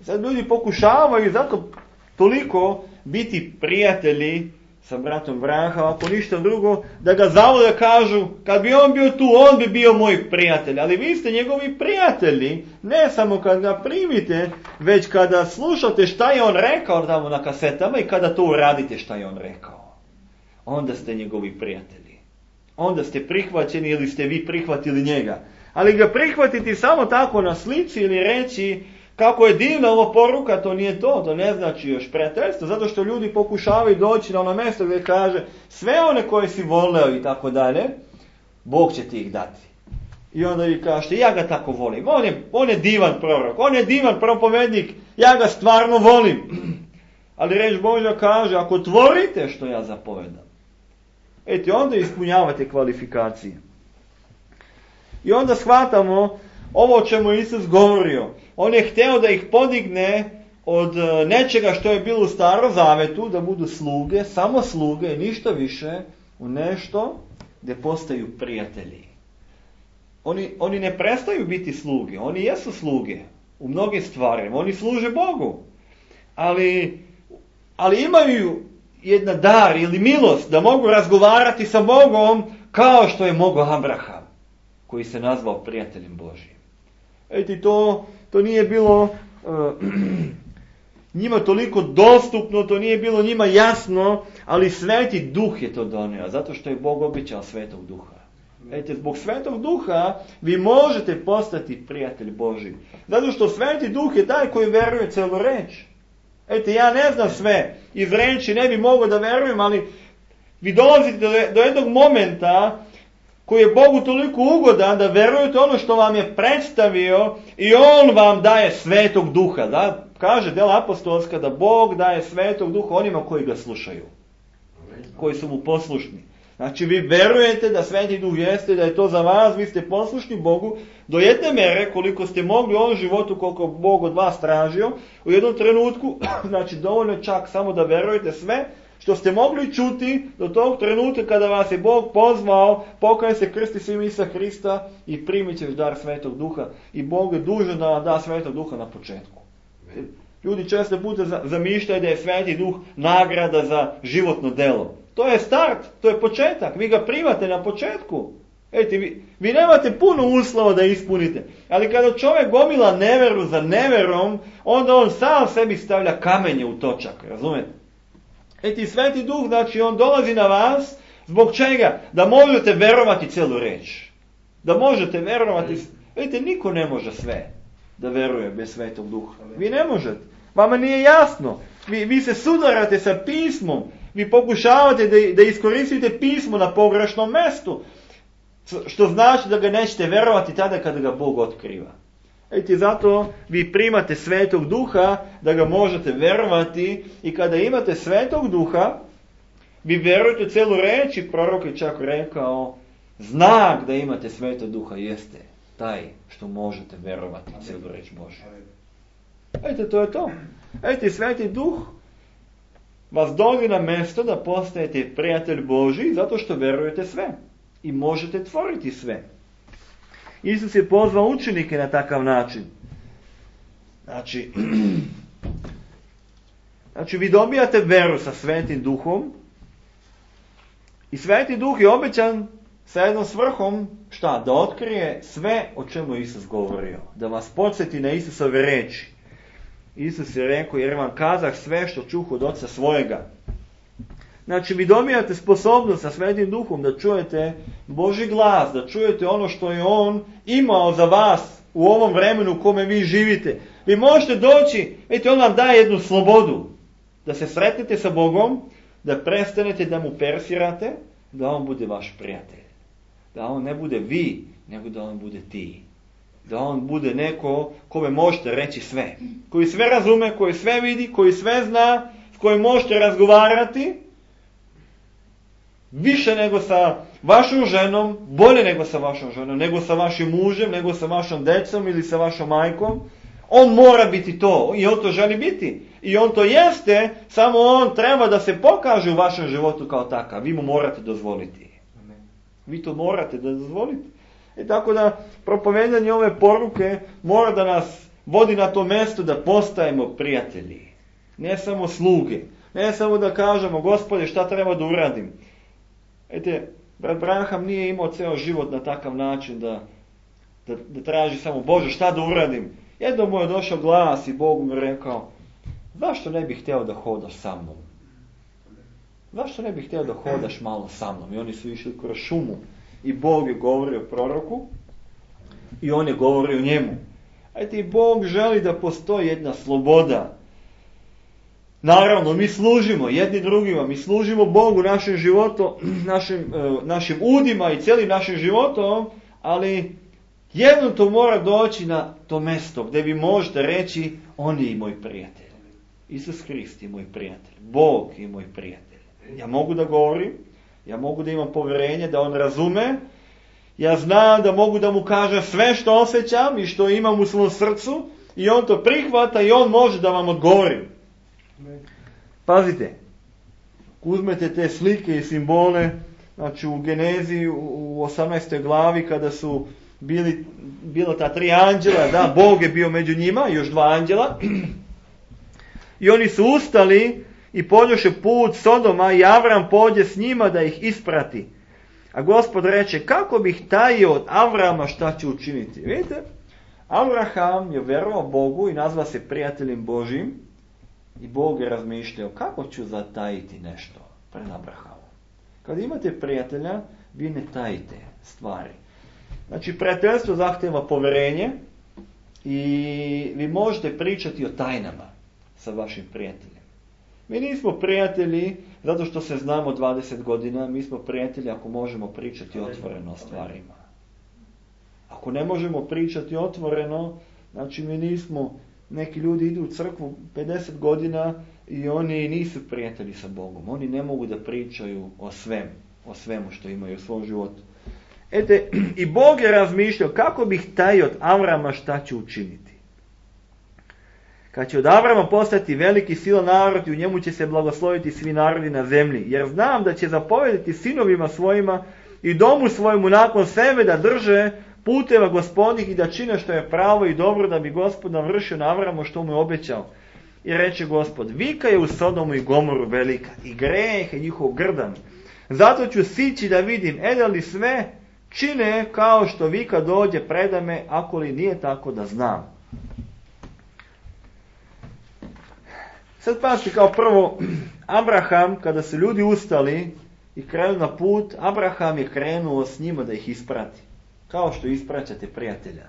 Sad ljudi pokušavaju zato toliko biti prijatelji sa bratom Vraha, ako ništa drugo, da ga zavode, kažu, kad bi on bio tu, on bi bio moj prijatelj. Ali vi ste njegovi prijatelji, ne samo kad ga primite, već kada slušate šta je on rekao tamo na kasetama i kada to uradite šta je on rekao. Onda ste njegovi prijatelji. Onda ste prihvaćeni ili ste vi prihvatili njega. Ali ga prihvatiti samo tako na slici ili reći kako je divna ova poruka, to nije to ne znači još prijateljstvo, zato što ljudi pokušavaju doći na ono mjesto gdje kaže sve one koje si voleo i tako dalje, Bog će ti ih dati. I onda vi kažete, ja ga tako volim, on je divan prorok, on je divan propovednik, ja ga stvarno volim. Ali reč Božja kaže, ako tvorite što ja zapovedam, onda ispunjavate kvalifikacije. I onda shvatamo ovo o čemu je Isus govorio. On je htio da ih podigne od nečega što je bilo u Starom Zavetu, da budu sluge, samo sluge i ništa više, u nešto gdje postaju prijatelji. Oni ne prestaju biti sluge, oni jesu sluge u mnogim stvarima, oni služe Bogu. Ali imaju jedan dar ili milost da mogu razgovarati sa Bogom kao što je mogao Abraham, koji se nazvao prijateljem Božijim. To nije bilo njima toliko dostupno, to nije bilo njima jasno, ali Sveti Duh je to donio, zato što je Bog obećao Svetog Duha. Zbog Svetog Duha vi možete postati prijatelj Božji. Zato što Sveti Duh je taj koji veruje celu reč. Ja ne znam sve, iz reči ne bi mogao da verujem, ali vi dolazite do jednog momenta koji je Bogu toliko ugodan da verujete ono što vam je predstavio i on vam daje Svetog Duha. Da? Kaže djela apostolska da Bog daje Svetog Duha onima koji ga slušaju, koji su mu poslušni. Znači vi verujete da Sveti Duh jeste, da je to za vas, vi ste poslušni Bogu do jedne mere koliko ste mogli u ovom životu, koliko Bog od vas tražio, u jednom trenutku, znači dovoljno čak samo da verujete sve što ste mogli čuti do tog trenutka kada vas je Bog pozvao, pokaj se, krsti se ime Isusa Hrista i primit ćeš dar Svetog Duha. I Bog je dužan da vam da Svetog Duha na početku. Ljudi često puta zamišljaju da je Sveti Duh nagrada za životno delo. To je start, to je početak, vi ga primate na početku. Vi nemate puno uslova da ispunite, ali kada čovjek gomila neveru za neverom, onda on sam sebi stavlja kamenje u točak, razumete? Sveti Duh, znači on dolazi na vas, zbog čega? Da možete verovati celu reč. Da možete verovati. Niko ne može sve da veruje bez Svetog Duha. Vi ne možete. Vama nije jasno. Vi se sudarate sa pismom. Vi pokušavate da iskoristite pismo na pogrešnom mjestu. Što znači da ga nećete verovati tada kada ga Bog otkriva. Zato vi primate Svetog Duha da ga možete verovati i kada imate Svetog Duha, vi verujete u celu reč i prorok je čak rekao, znak da imate Svetog Duha jeste taj što možete verovati u celu reč Božju. To je to. Sveti Duh vas dovodi na mjesto da postajete prijatelj Božji zato što verujete sve i možete tvoriti sve. Isus je pozvao učenike na takav način. Znači vi dobijate veru sa Svetim Duhom i Sveti Duh je obećan sa jednom svrhom, šta? Da otkrije sve o čemu je Isus govorio. Da vas podsjeti na Isusove reči. Isus je rekao, jer vam kazah sve što čuh od Oca svojega. Znači vi dobijate sposobnost sa Svetim Duhom da čujete Božji glas, da čujete ono što je On imao za vas u ovom vremenu u kome vi živite. Vi možete doći, On vam daje jednu slobodu, da se sretnete sa Bogom, da prestanete da mu persirate, da On bude vaš prijatelj. Da On ne bude vi, nego da On bude ti. Da On bude neko kome možete reći sve. Koji sve razume, koji sve vidi, koji sve zna, s kojim možete razgovarati, više nego sa vašom ženom, bolje nego sa vašom ženom, nego sa vašim mužem, nego sa vašom decom ili sa vašom majkom. On mora biti to i on to želi biti. I on to jeste, samo on treba da se pokaže u vašem životu kao takav. Vi mu morate dozvoliti. Vi to morate da dozvolite. Tako da propovedanje ove poruke mora da nas vodi na to mjesto da postajemo prijatelji. Ne samo sluge. Ne samo da kažemo, Gospode, šta treba da uradim. Brat Branham nije imao ceo život na takav način da traži samo, Bože, šta da uradim. Jednom mu je došao glas i Bog mu rekao, zašto ne bih htio da hodaš sa mnom? Zašto ne bih htio da hodaš malo sa mnom? I oni su išli kroz šumu i Bog je govorio proroku i on je govorio njemu. I Bog želi da postoji jedna sloboda. Naravno, mi služimo jedni drugima, mi služimo Bogu našim životom, našim udima i cijelim našim životom, ali jednom to mora doći na to mjesto gdje vi možete reći, on je i moj prijatelj. Isus Hrist je moj prijatelj. Bog je moj prijatelj. Ja mogu da govorim, ja mogu da imam povjerenje, da on razume, ja znam da mogu da mu kažem sve što osjećam i što imam u svom srcu i on to prihvata i on može da vam odgovori. Pazite, uzmete te slike i simbole, znači u Genezi u 18. glavi kada su bila ta 3 anđela, da, Bog je bio među njima, još 2 anđela, i oni su ustali i pođoše put Sodoma i Avram pođe s njima da ih isprati. A Gospod reče, kako bih tajio od Avrama šta će učiniti? Vidite, Avraham je verovao Bogu i nazva se prijateljem Božim i Bog je razmišljao kako ću zatajiti nešto pred Abrahamom. Kad imate prijatelja, vi ne tajite stvari. Znači, prijateljstvo zahtjeva povjerenje i vi možete pričati o tajnama sa vašim prijateljem. Mi nismo prijatelji zato što se znamo 20 godina, mi smo prijatelji ako možemo pričati otvoreno o stvarima. Ako ne možemo pričati otvoreno, znači mi nismo, neki ljudi idu u crkvu 50 godina i oni nisu prijatelji sa Bogom. Oni ne mogu da pričaju o svemu što imaju u svom životu. I Bog je razmišljao kako bih taj od Avrama šta će učiniti. Kad će od Avrama postati veliki silan narod i u njemu će se blagosloviti svi narodi na zemlji. Jer znam da će zapovedati sinovima svojima i domu svojemu nakon sebe da drže puteva Gospodnih i da čine što je pravo i dobro da bi Gospod navršio na Avramu što mu je obećao. I reče Gospod, vika je u Sodomu i Gomoru velika i greh je njihov grdan. Zato ću sići da vidim, da li sve čine kao što vika dođe predame, ako li nije tako da znam. Sad pazite, kao prvo, Abraham, kada su ljudi ustali i krenuli na put, Abraham je krenuo s njima da ih isprati. Kao što ispraćate prijatelja.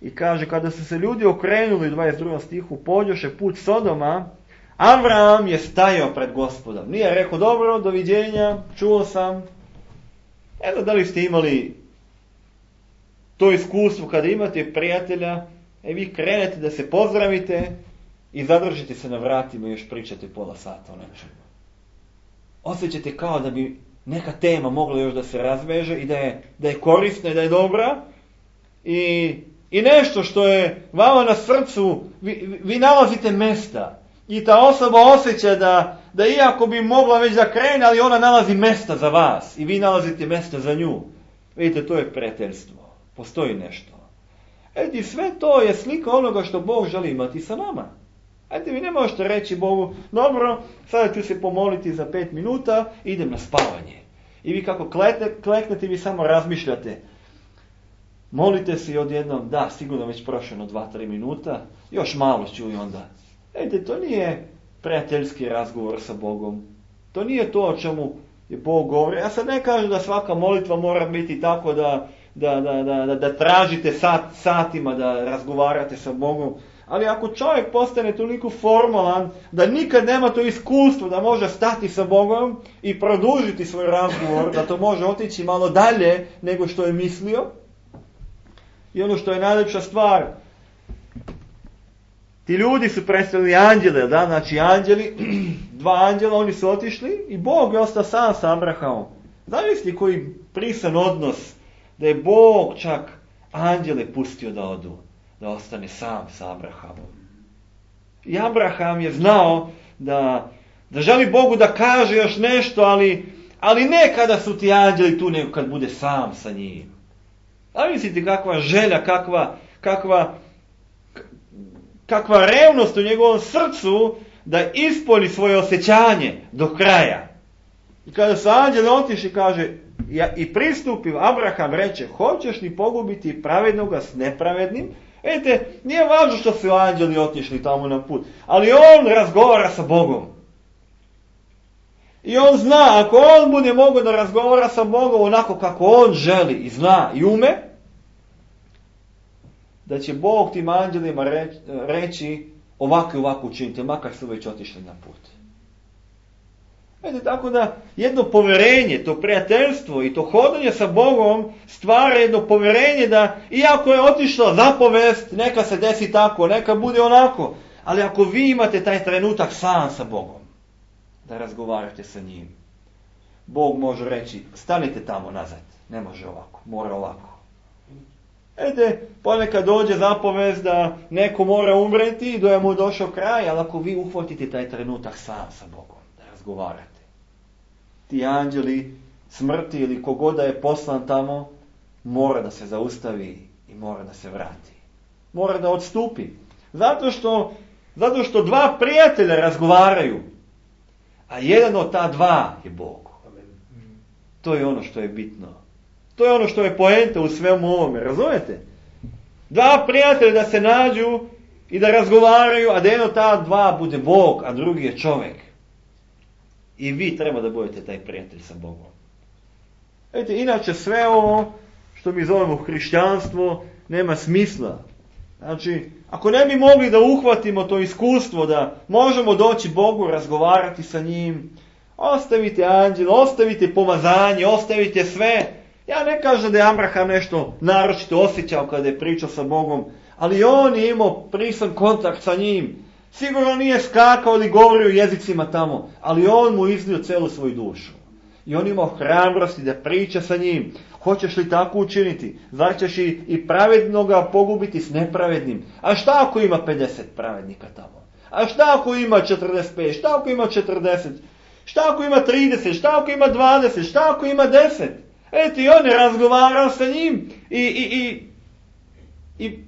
I kaže, kada su se ljudi okrenuli, 22. stihu, pođoše put Sodoma, Abraham je stajao pred Gospodom. Nije rekao, dobro, doviđenja, čuo sam. Evo, da li ste imali to iskustvo kada imate prijatelja, vi krenete da se pozdravite i zadržite se na vratima i još pričate pola sata o nečemu. Osjećate kao da bi neka tema mogla još da se razveže i da je korisna i da je dobra i nešto što je vama na srcu, vi nalazite mesta i ta osoba osjeća da iako bi mogla već da krene, ali ona nalazi mesta za vas i vi nalazite mesta za nju. Vidite, to je prijateljstvo. Postoji nešto. I sve to je slika onoga što Bog želi imati sa nama. Vi ne možete reći Bogu, dobro, sada ću se pomoliti za 5 minuta, idem na spavanje. I vi kako kleknete, vi samo razmišljate. Molite se i odjednom, da, sigurno već prošlo 2-3 minuta, još malo ću i onda. To nije prijateljski razgovor sa Bogom. To nije to o čemu je Bog govori. Ja sad ne kažem da svaka molitva mora biti tako da tražite satima da razgovarate sa Bogom. Ali ako čovjek postane toliko formalan da nikad nema to iskustvo da može stati sa Bogom i produžiti svoj razgovor, da to može otići malo dalje nego što je mislio. I ono što je najljepša stvar, ti ljudi su predstavili anđele, znači anđeli, 2 anđela, oni su otišli i Bog je ostao sam sa Abrahamom. Zamisli koji prisan odnos, da je Bog čak anđele pustio da odu, da ostane sam sa Abrahamom. I Abraham je znao da želi Bogu da kaže još nešto, ali ne kada su ti anđeli tu, nego kad bude sam sa njim. Zamislite kakva želja, kakva revnost u njegovom srcu da ispolji svoje osjećanje do kraja. I kada su anđeli otišli, kaže, i pristupio, Abraham reče, hoćeš li pogubiti pravednoga s nepravednim? Vidite, nije važno što su anđeli otišli tamo na put, ali on razgovara sa Bogom. I on zna, ako on bude mogao da razgovara sa Bogom onako kako on želi i zna i ume, da će Bog tim anđelima reći ovako i ovako učinite, makar su već otišli na put. Vidite, tako da jedno povjerenje, to prijateljstvo i to hodanje sa Bogom stvara jedno povjerenje da iako je otišla zapovest, neka se desi tako, neka bude onako, ali ako vi imate taj trenutak sam sa Bogom, da razgovarate sa njim, Bog može reći, stanite tamo nazad, ne može ovako, mora ovako. Vidite, ponekad dođe zapovest da neko mora umreti i da je mu došao kraj, ali ako vi uhvatite taj trenutak sam sa Bogom, da razgovarate, ti anđeli smrti ili kogoda je poslan tamo, mora da se zaustavi i mora da se vrati. Mora da odstupi. Zato što dva prijatelja razgovaraju, a jedan od ta dva je Bog. To je ono što je bitno. To je ono što je poenta u svemu ovome, razumete? Dva prijatelja da se nađu i da razgovaraju, a da jedan od ta dva bude Bog, a drugi je čovjek. I vi treba da budete taj prijatelj sa Bogom. Vidite, inače sve ovo što mi zovemo hrišćanstvo nema smisla. Znači, ako ne bi mogli da uhvatimo to iskustvo, da možemo doći Bogu, razgovarati sa njim, ostavite anđel, ostavite pomazanje, ostavite sve. Ja ne kažem da je Abraham nešto naročito osjećao kada je pričao sa Bogom, ali on je imao prisan kontakt sa njim. Sigurno nije skakao ili govorio jezicima tamo, ali on mu iznio celu svoju dušu. I on imao hrabrosti da priča sa njim. Hoćeš li tako učiniti? Zar ćeš i pravednoga pogubiti s nepravednim? A šta ako ima 50 pravednika tamo? A šta ako ima 45? Šta ako ima 40? Šta ako ima 30? Šta ako ima 20? Šta ako ima 10? Eto, i on je razgovarao sa njim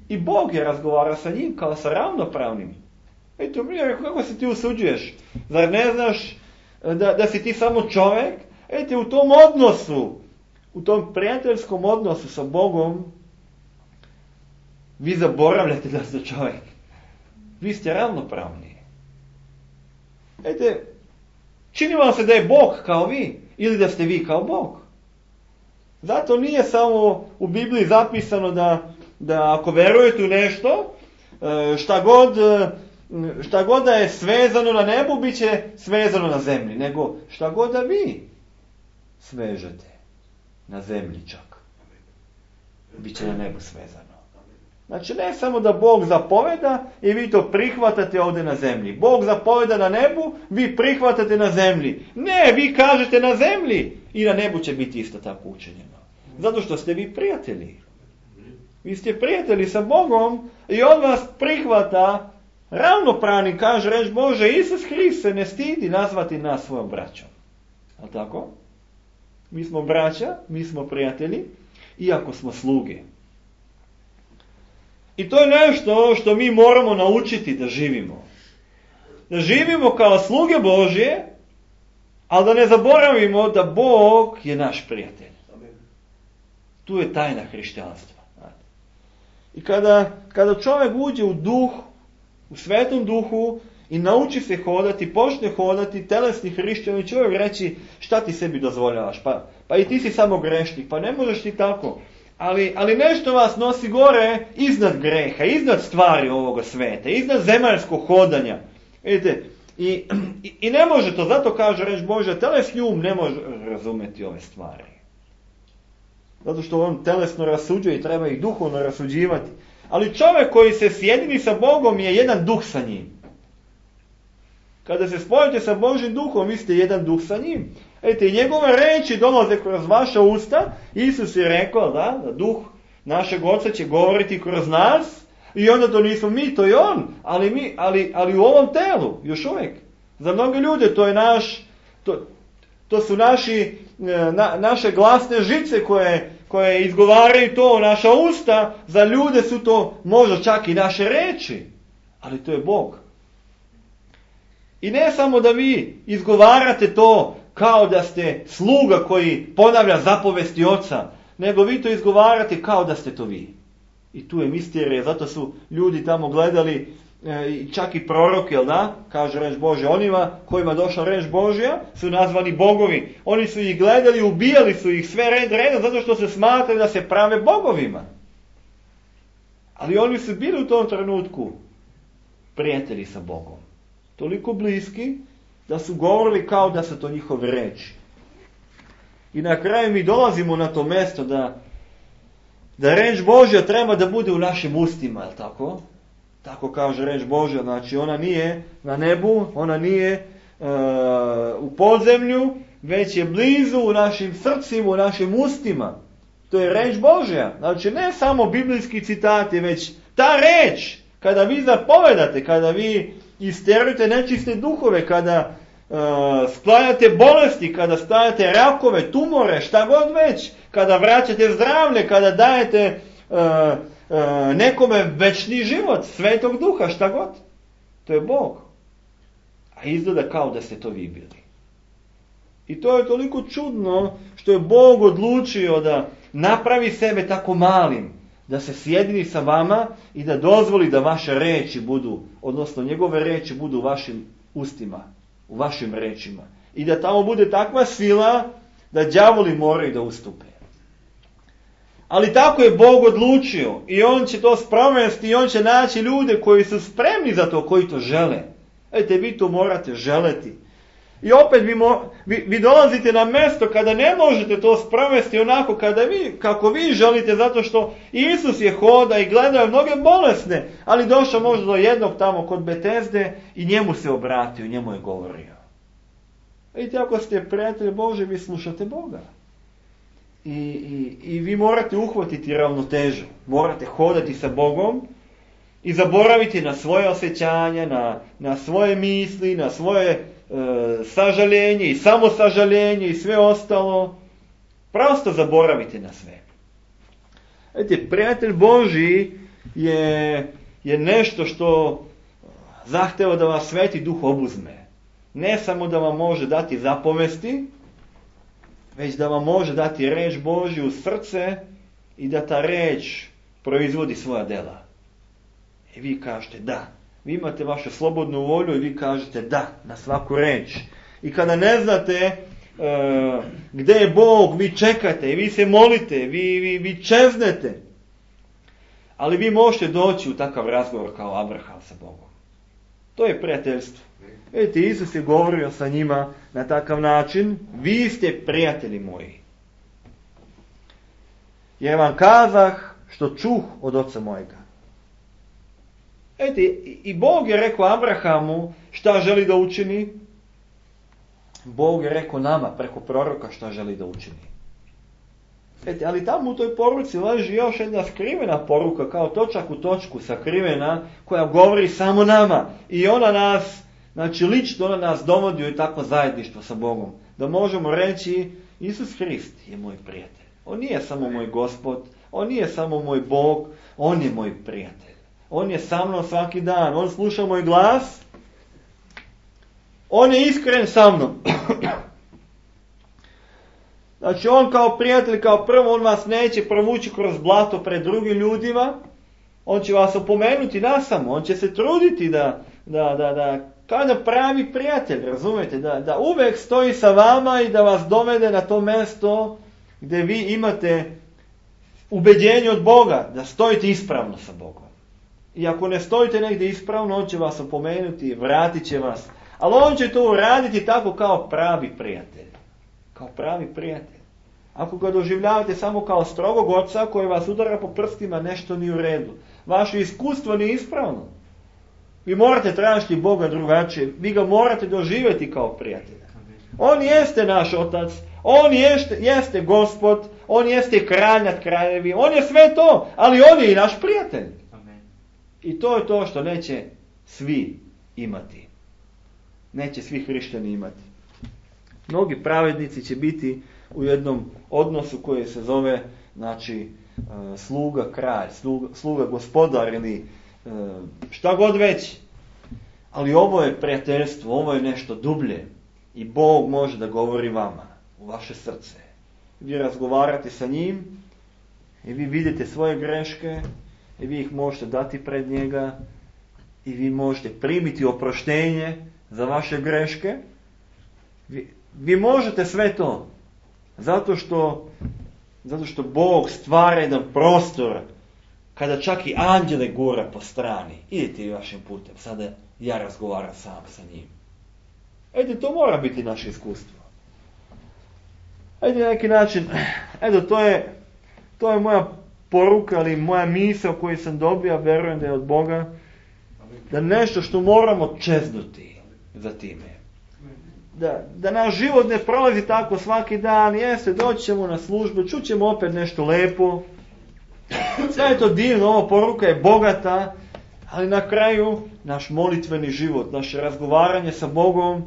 i Bog je razgovarao sa njim kao sa ravnopravnim. Eto, kako se ti usuđuješ? Zar ne znaš da si ti samo čovjek? Eto, u tom odnosu, u tom prijateljskom odnosu sa Bogom, vi zaboravljate da ste čovjek. Vi ste ravnopravni. Eto, čini vam se da je Bog kao vi ili da ste vi kao Bog. Zato nije samo u Bibliji zapisano da ako verujete u nešto, šta god da je svezano na nebu, bit će svezano na zemlji. Nego šta god da vi svežete na zemlji čak, bit će na nebu svezano. Znači ne samo da Bog zapoveda i vi to prihvatate ovdje na zemlji. Bog zapoveda na nebu, vi prihvatate na zemlji. Ne, vi kažete na zemlji i na nebu će biti isto tako učinjeno. Zato što ste vi prijatelji. Vi ste prijatelji sa Bogom i on vas prihvata ravnopravni, kaže reč Bože, Isus Hrist se ne stidi nazvati nas svojom braćom. A tako? Mi smo braća, mi smo prijatelji, iako smo sluge. I to je nešto što mi moramo naučiti da živimo. Da živimo kao sluge Božje, ali da ne zaboravimo da Bog je naš prijatelj. Tu je tajna hrišćanstva. I kada čovjek uđe u duh, u svetom duhu i nauči se hodati, počne hodati, telesni hrišćani, čovjek reći šta ti sebi dozvoljavaš, pa i ti si samo grešnik, pa ne možeš ti tako. Ali nešto vas nosi gore iznad greha, iznad stvari ovoga sveta, iznad zemaljskog hodanja. Vidite, i ne može to, zato kaže reč Božja, telesni um ne može razumjeti ove stvari. Zato što on telesno rasuđuje i treba ih duhovno rasuđivati. Ali čovjek koji se sjedini sa Bogom je jedan duh sa njim. Kada se spojite sa Božjim duhom, vi ste jedan duh sa njim. Ete, njegove reči dolaze kroz vaša usta. Isus je rekao da duh našeg Oca će govoriti kroz nas. I onda to nismo mi, to je on. Ali u ovom telu, još uvijek. Za mnoge ljude to je to su naše glasne žice koje izgovaraju to, naša usta. Za ljude su to možda čak i naše reči. Ali to je Bog. I ne samo da vi izgovarate to kao da ste sluga koji ponavlja zapovesti Oca, nego vi to izgovarate kao da ste to vi. I tu je misterija, zato su ljudi tamo gledali, čak i proroke, jel da? Kaže reč Božja, onima kojima došla reč Božja su nazvani bogovi. Oni su ih gledali, ubijali su ih sve redom zato što se smatraju da se prave bogovima. Ali oni su bili u tom trenutku prijatelji sa Bogom. Toliko bliski da su govorili kao da su to njihove reči. I na kraju mi dolazimo na to mjesto da reč Božja treba da bude u našim ustima, je li tako? Tako kaže reč Božja, znači ona nije na nebu, ona nije u podzemlju, već je blizu u našim srcima, u našim ustima. To je reč Božja. Znači ne samo biblijski citati, već ta reč, kada vi zapovedate, kada vi isterujete nečiste duhove, kada sklanjate bolesti, kada stajate rakove, tumore, šta god već, kada vraćate zdravlje, kada dajete nekome večni život, Svetog Duha, šta god. To je Bog. A izgleda kao da ste to vi bili. I to je toliko čudno što je Bog odlučio da napravi sebe tako malim, da se sjedini sa vama i da dozvoli da vaše reči budu, odnosno njegove reči budu u vašim ustima, u vašim rečima. I da tamo bude takva sila da đavoli moraju da ustupe. Ali tako je Bog odlučio i on će to sprovesti i on će naći ljude koji su spremni za to, koji to žele. Ejte, vi to morate želeti. I opet vi dolazite na mjesto kada ne možete to sprovesti onako kako vi želite, zato što Isus je hoda i gledao mnoge bolesne, ali došao možda do jednog tamo kod Betesde i njemu se obratio, njemu je govorio. Vidite, ako ste prijatelj Bože, vi slušate Boga. I vi morate uhvatiti ravnotežu, morate hodati sa Bogom i zaboraviti na svoje osjećanje, na svoje misli, na svoje sažaljenje i samosažaljenje i sve ostalo. Prosto zaboravite na sve. Vidite, prijatelj Božji je nešto što zahteva da vas Sveti Duh obuzme. Ne samo da vam može dati zapovesti, već da vam može dati reč Božju u srce i da ta reč proizvodi svoja dela. I vi kažete da. Vi imate vašu slobodnu volju i vi kažete da na svaku reč. I kada ne znate gdje je Bog, vi čekate i vi se molite, vi čeznete. Ali vi možete doći u takav razgovor kao Abraham sa Bogom. To je prijateljstvo. Vidite, Isus je govorio sa njima na takav način, vi ste prijatelji moji. Jer vam kazah što čuh od oca mojega. Vidite, i Bog je rekao Abrahamu šta želi da učini. Bog je rekao nama preko proroka šta želi da učini. Vidite, ali tamo u toj poruci leži još jedna skrivena poruka, kao točak u točku sakrivena, koja govori samo nama. I ona nas, znači lično ona nas dovodi u takvo zajedništvo sa Bogom. Da možemo reći, Isus Hrist je moj prijatelj. On nije samo moj Gospod, on nije samo moj Bog, on je moj prijatelj. On je sa mnom svaki dan, on sluša moj glas, on je iskren sa mnom. Znači on kao prijatelj, kao prvo, on vas neće provući kroz blato pred drugim ljudima, on će vas opomenuti nasamo, on će se truditi da kao da pravi prijatelj, razumijete, da uvijek stoji sa vama i da vas dovede na to mjesto gdje vi imate ubeđenje od Boga, da stojite ispravno sa Bogom. I ako ne stojite negdje ispravno, on će vas opomenuti, vratit će vas. Ali on će to uraditi tako kao pravi prijatelj. Kao pravi prijatelj. Ako ga doživljavate samo kao strogog oca koji vas udara po prstima, nešto nije u redu. Vaše iskustvo nije ispravno. Vi morate tražiti Boga drugačije. Vi ga morate doživjeti kao prijatelja. On jeste naš otac, on jeste gospod, on jeste kralj nad kraljevi, on je sve to, ali on je i naš prijatelj. Amen. I to je to što neće svi imati. Neće svi hrišćani imati. Mnogi pravednici će biti u jednom odnosu koji se zove, znači, sluga kralj, sluga gospodar ili šta god već. Ali ovo je prijateljstvo, ovo je nešto dublje. I Bog može da govori vama, u vaše srce. Vi razgovarate sa njim i vi vidite svoje greške i vi ih možete dati pred njega i vi možete primiti oproštenje za vaše greške. Vi možete sve to. Zato što Bog stvara jedan prostor kada čak i anđele gura po strani. Idite i vašim putem. Sada ja razgovaram sam sa njim. Ede, to mora biti naše iskustvo. Ede, na neki način, edo, to je moja poruka, ali moja misao koju sam dobio, verujem da je od Boga, da nešto što moramo čeznuti za time. Da naš život ne prolazi tako svaki dan, jeste, doći ćemo na službu, čućemo opet nešto lepo. Sve je to divno, ova poruka je bogata, ali na kraju naš molitveni život, naše razgovaranje sa Bogom,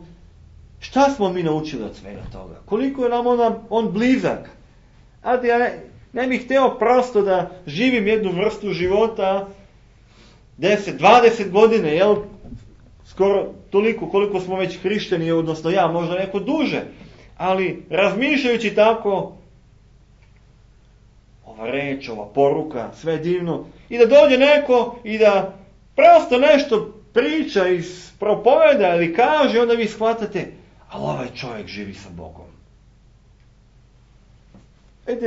šta smo mi naučili od svega toga? Koliko je nam on blizak? Ja ne bih htio prosto da živim jednu vrstu života 10, 20 godine, jel? Skoro toliko koliko smo već hrišćani, odnosno ja, možda neko duže. Ali razmišljajući tako, ova reč, ova poruka, sve je divno. I da dođe neko i da prosto nešto priča, propoveda ili kaže, onda vi shvatate, ali ovaj čovjek živi sa Bogom.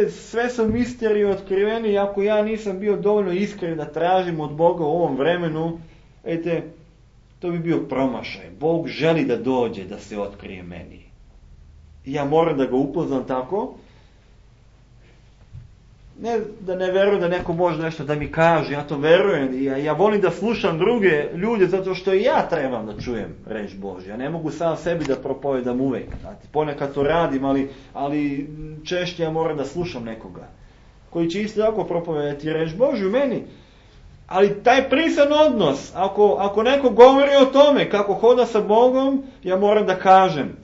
Sve su misterije otkriveni, ako ja nisam bio dovoljno iskren da tražim od Boga u ovom vremenu, to bi bio promašaj. Bog želi da dođe, da se otkrije meni. Ja moram da ga upoznam tako. Ne da ne verujem da neko može nešto da mi kaže, ja to verujem. Ja volim da slušam druge ljude, zato što i ja trebam da čujem reč Božja. Ja ne mogu sam sebi da propovedam uvek. Znate, ponekad to radim, ali češće ja moram da slušam nekoga. Koji će isto tako propovedati reč Božju meni. Ali taj prisan odnos, ako neko govori o tome kako hoda sa Bogom, ja moram da kažem.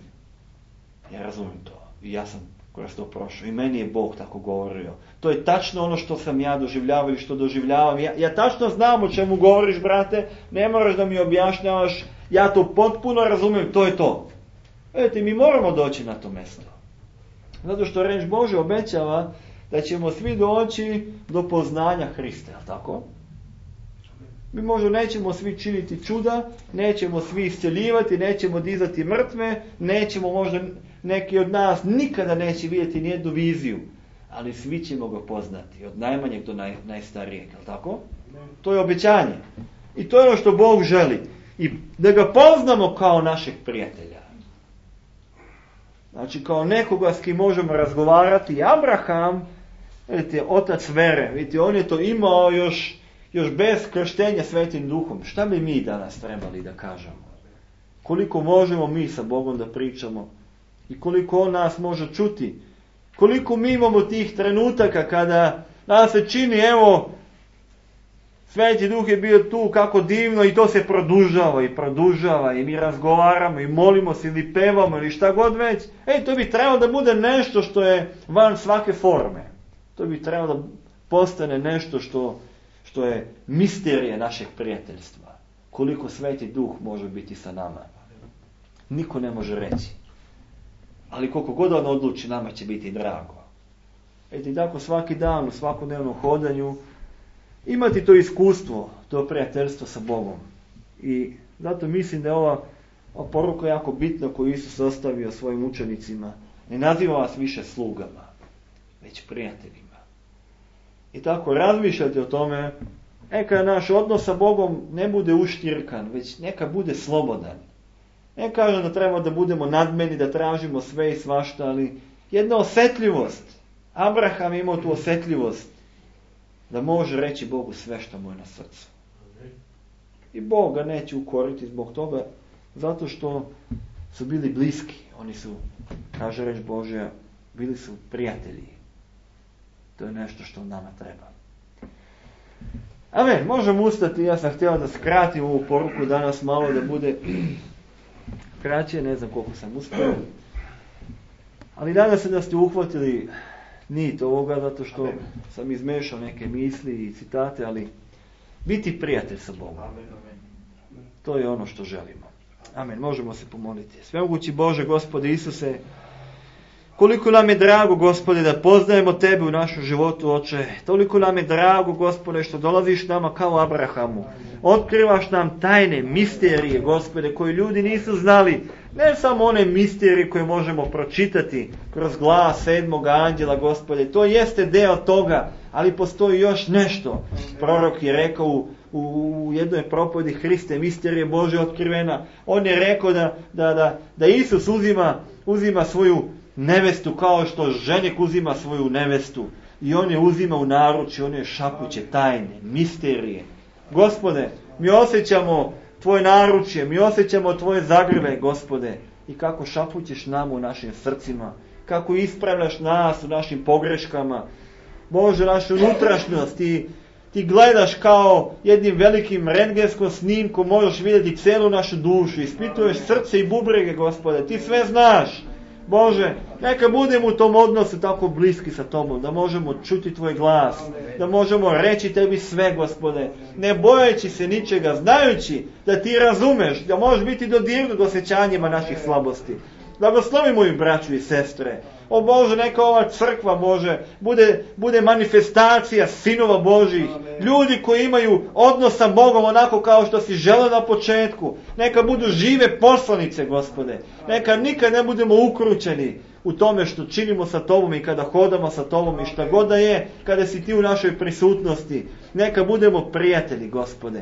Ja razumijem to. I ja sam kroz to prošao. I meni je Bog tako govorio. To je tačno ono što sam ja doživljavao ili što doživljavam. Ja tačno znam o čemu govoriš, brate. Ne moraš da mi objašnjavaš. Ja to potpuno razumijem. To je to. Vidite, mi moramo doći na to mjesto. Zato što reč Bože obećava da ćemo svi doći do poznanja Hrista. Je li tako? Mi možda nećemo svi činiti čuda, nećemo svi isceljivati, nećemo dizati mrtve, nećemo možda neki od nas nikada neće vidjeti nijednu viziju, ali svi ćemo ga poznati, od najmanjeg do najstarijeg, je li tako? To je obećanje. I to je ono što Bog želi. I da ga poznamo kao našeg prijatelja. Znači kao nekoga s kim možemo razgovarati. Abraham, vidite, otac vere, vidite, on je to imao još bez krštenja Svetim Duhom. Šta bi mi danas trebali da kažemo? Koliko možemo mi sa Bogom da pričamo? I koliko on nas može čuti? Koliko mi imamo tih trenutaka kada nas se čini, evo, Sveti Duh je bio tu, kako divno, i to se produžava i mi razgovaramo i molimo se ili pevamo ili šta god već. To bi trebalo da bude nešto što je van svake forme. To bi trebalo da postane nešto što je misterija našeg prijateljstva. Koliko Sveti Duh može biti sa nama. Niko ne može reći. Ali koliko god on odluči, nama će biti drago. I tako svaki dan, u svakodnevnom hodanju, imati to iskustvo, to prijateljstvo sa Bogom. I zato mislim da je ova poruka jako bitna koju Isus ostavio svojim učenicima. Ne naziva vas više slugama, već prijateljima. I tako razmišljate o tome, neka naš odnos sa Bogom ne bude uštirkan, već neka bude slobodan. Ne kažem da treba da budemo nadmeni, da tražimo sve i svašta, ali jedna osjetljivost. Abraham je imao tu osjetljivost da može reći Bogu sve što mu je na srcu. I Bog ga neće ukoriti zbog toga, zato što su bili bliski. Oni su, kaže reč Božja, bili su prijatelji. To je nešto što nama treba. Amen, možemo ustati. Ja sam htio da skratim ovu poruku danas malo, da bude kraće, ne znam koliko sam uspio. Ali nadam se da ste uhvatili nit ovoga, zato što sam izmešao neke misli i citate, ali biti prijatelj sa Bogom. To je ono što želimo. Amen, možemo se pomoliti. Svemogući Bože, Gospode Isuse, koliko nam je drago, Gospode, da poznajemo Tebe u našem životu, Oče. Toliko nam je drago, Gospode, što dolaziš nama kao Abrahamu. Otkrivaš nam tajne misterije, Gospode, koje ljudi nisu znali. Ne samo one misterije koje možemo pročitati kroz glas 7. anđela, Gospode. To jeste deo toga, ali postoji još nešto. Prorok je rekao u jednoj propovedi, Hriste, misterije Bože otkrivena. On je rekao da Isus uzima svoju nevestu kao što ženik uzima svoju nevestu. I on je uzima u naručje, on je šapuće tajne, misterije. Gospode, mi osjećamo Tvoje naručje, mi osjećamo Tvoje zagrle, Gospode. I kako šapućeš nam u našim srcima, kako ispravljaš nas u našim pogreškama. Bože, našu unutrašnjost ti gledaš kao jednim velikim rentgenskom snimkom, možeš vidjeti celu našu dušu, ispituješ srce i bubrege, Gospode, ti sve znaš. Bože, neka budemo u tom odnosu tako bliski sa Tobom, da možemo čuti Tvoj glas, da možemo reći Tebi sve, Gospode, ne bojeći se ničega, znajući da Ti razumeš, da možeš biti dodirnut osjećanjima naših slabosti. Blagoslovi moju braću i sestre. O Bože, neka ova crkva, Bože, bude manifestacija sinova Božih. Ljudi koji imaju odnos sa Bogom onako kao što si želeo na početku. Neka budu žive poslanice, Gospode. Neka nikad ne budemo ukrućeni u tome što činimo sa Tobom i kada hodamo sa Tobom i šta god da je, kada si Ti u našoj prisutnosti. Neka budemo prijatelji, Gospode.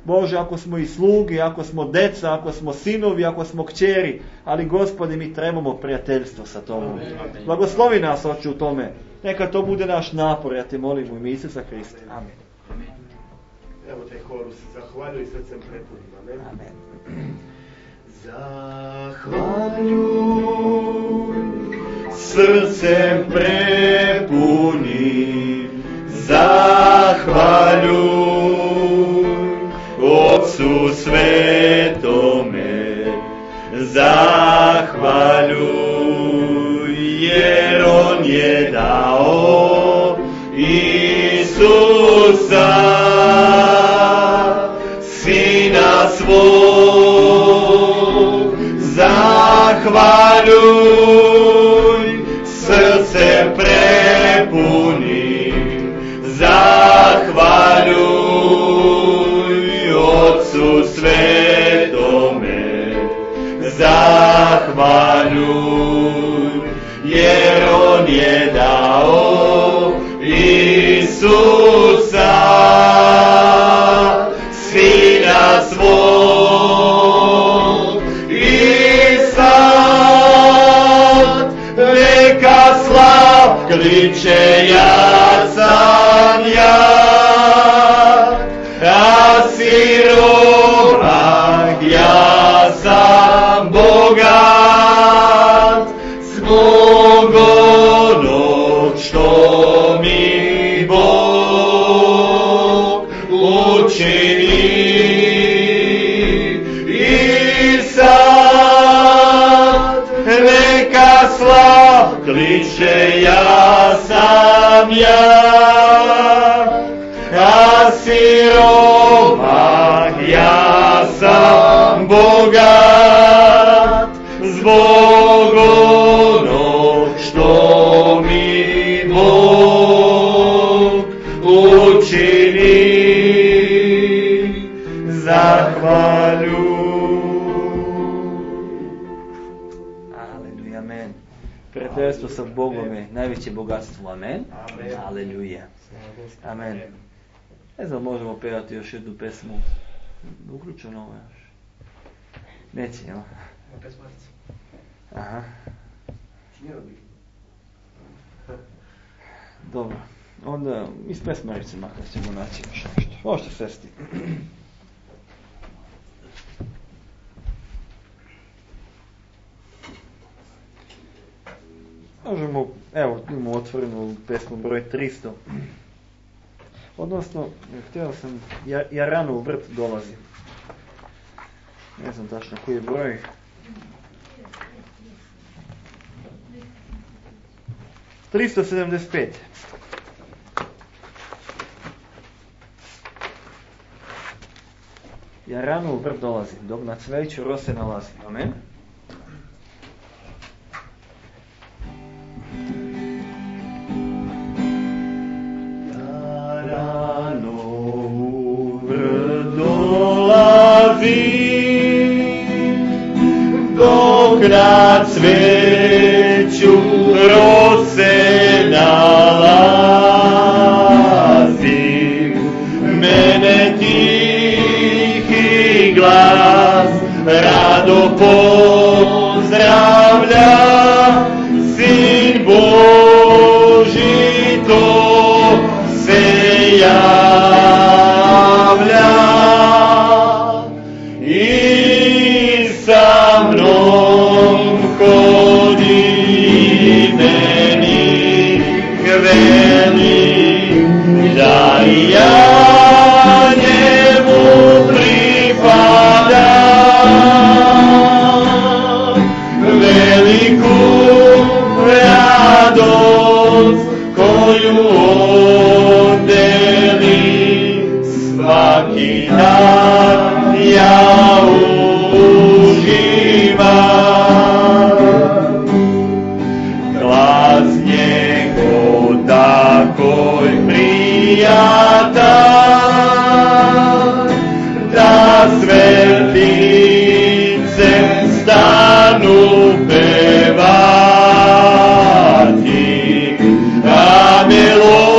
Bože, ako smo i sluge, ako smo deca, ako smo sinovi, ako smo kćeri, ali Gospode, mi trebamo prijateljstvo sa Tobom. Blagoslovi nas, Oče, u tome. Neka to bude naš napor, ja te molim u ime Isusa Hrista. Amen. Evo taj horus, zahvaljuj srcem prepunim. Amen. Amen. Zahvaljuj srcem prepunim, zahvaljuj Otcu Svetome, zahvaljuj, jer On je dao Isusa, Sina svog. Zahvaljuj srcem prepunim, zahvaljuj Otcu Svetome, zahvaljuj, jer On je dao Isusa, Sina svog. I sad neka slav kliče, ja sam ja, a siromah, ja sam bogat, zbog onog što mi Bog učini. I sad neka slav kliče, ja sam ja, a siromah, ja sam bogat, zbog onog što mi Bog učini. Zahvaljuj. Aleluja, amen. Prijateljstvo sa Bogom je najveće bogatstvo, amen. Aleluja. Amen. Ne znam, možemo pevati još jednu pesmu. Uključeno ovo još. Neće, jel? Aha. Dobro. Onda iz pesmarice makar ćemo naći još nešto. Možete sesti. Možemo, evo, imamo otvorenu pesmu broj 300. Odnosno, htio sam, ja rano u vrt dolazim. Ne znam tačno koji je broj. ...375. Ja rano u vrt dolazim, dok na cveću rose nalazim. Amen. Ja rano u vrt dolazim, dok na cveću rose nalazim. Mene tihi glas rado pozdravlja, Sin Boži to se javlja i sa mnom hodi, meni veli da ja njemu pripadam. Veliku radost koju on deli, svaki dan ja uživam. Glas njegov takoj prijatan, da svetlice stanu pevati, a melodija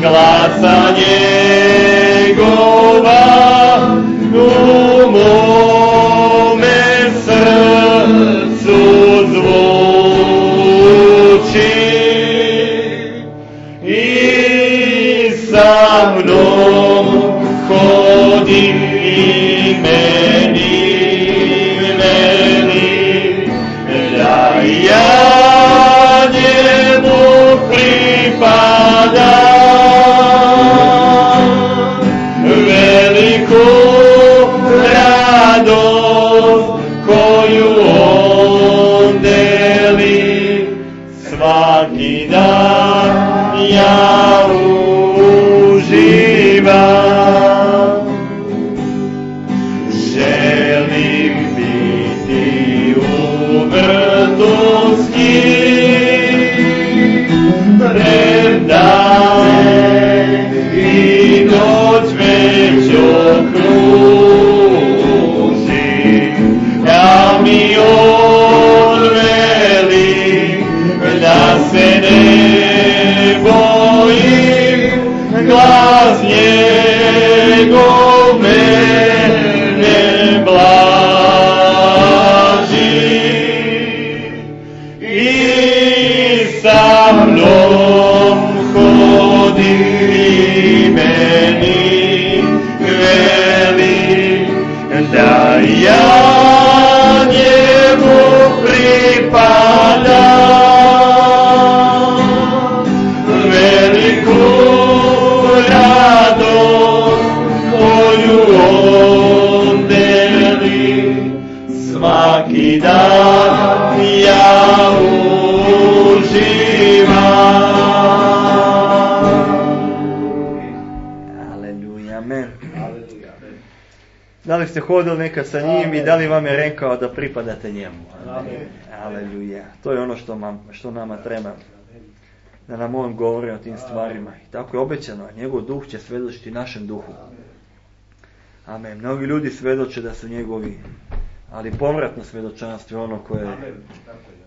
glasa njegova u mome srcu zvuči. I sa mnom hodi i meni veli da ja njemu pripadam. Veliku radost koju on deli, svaki dan ja uživam. Želim biti u vrtosti, premdan i noć već okruži, da mi on veli da se ne bojim, glas njegov mene blaži. I sa mnom hodi i meni veli da ja njemu pripadam. Veliku radost koju on deli, svaki dan ja uživam. Aleluja, amen. Da li ste hodili nekad sa njim i da li vam je rekao da pripadate njemu? Amen. Aleluja. To je ono što nama treba. Da nam on govori o tim stvarima. I tako je obećano. Njegov duh će svjedočiti našem duhu. Amen. Mnogi ljudi svjedoče da su njegovi, ali povratno svjedočanstvo je ono koje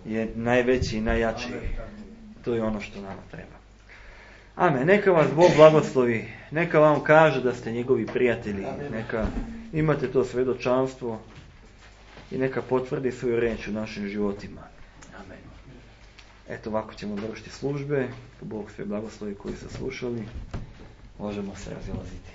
je najveći i najjači. To je ono što nama treba. Amen. Neka vas Bog blagoslovi. Neka vam kaže da ste njegovi prijatelji. Neka imate to svjedočanstvo i neka potvrdi svoju riječ u našim životima. Amen. Eto, ovako ćemo završiti službe. Bog sve blagoslovi koji su slušali. Možemo se razilaziti.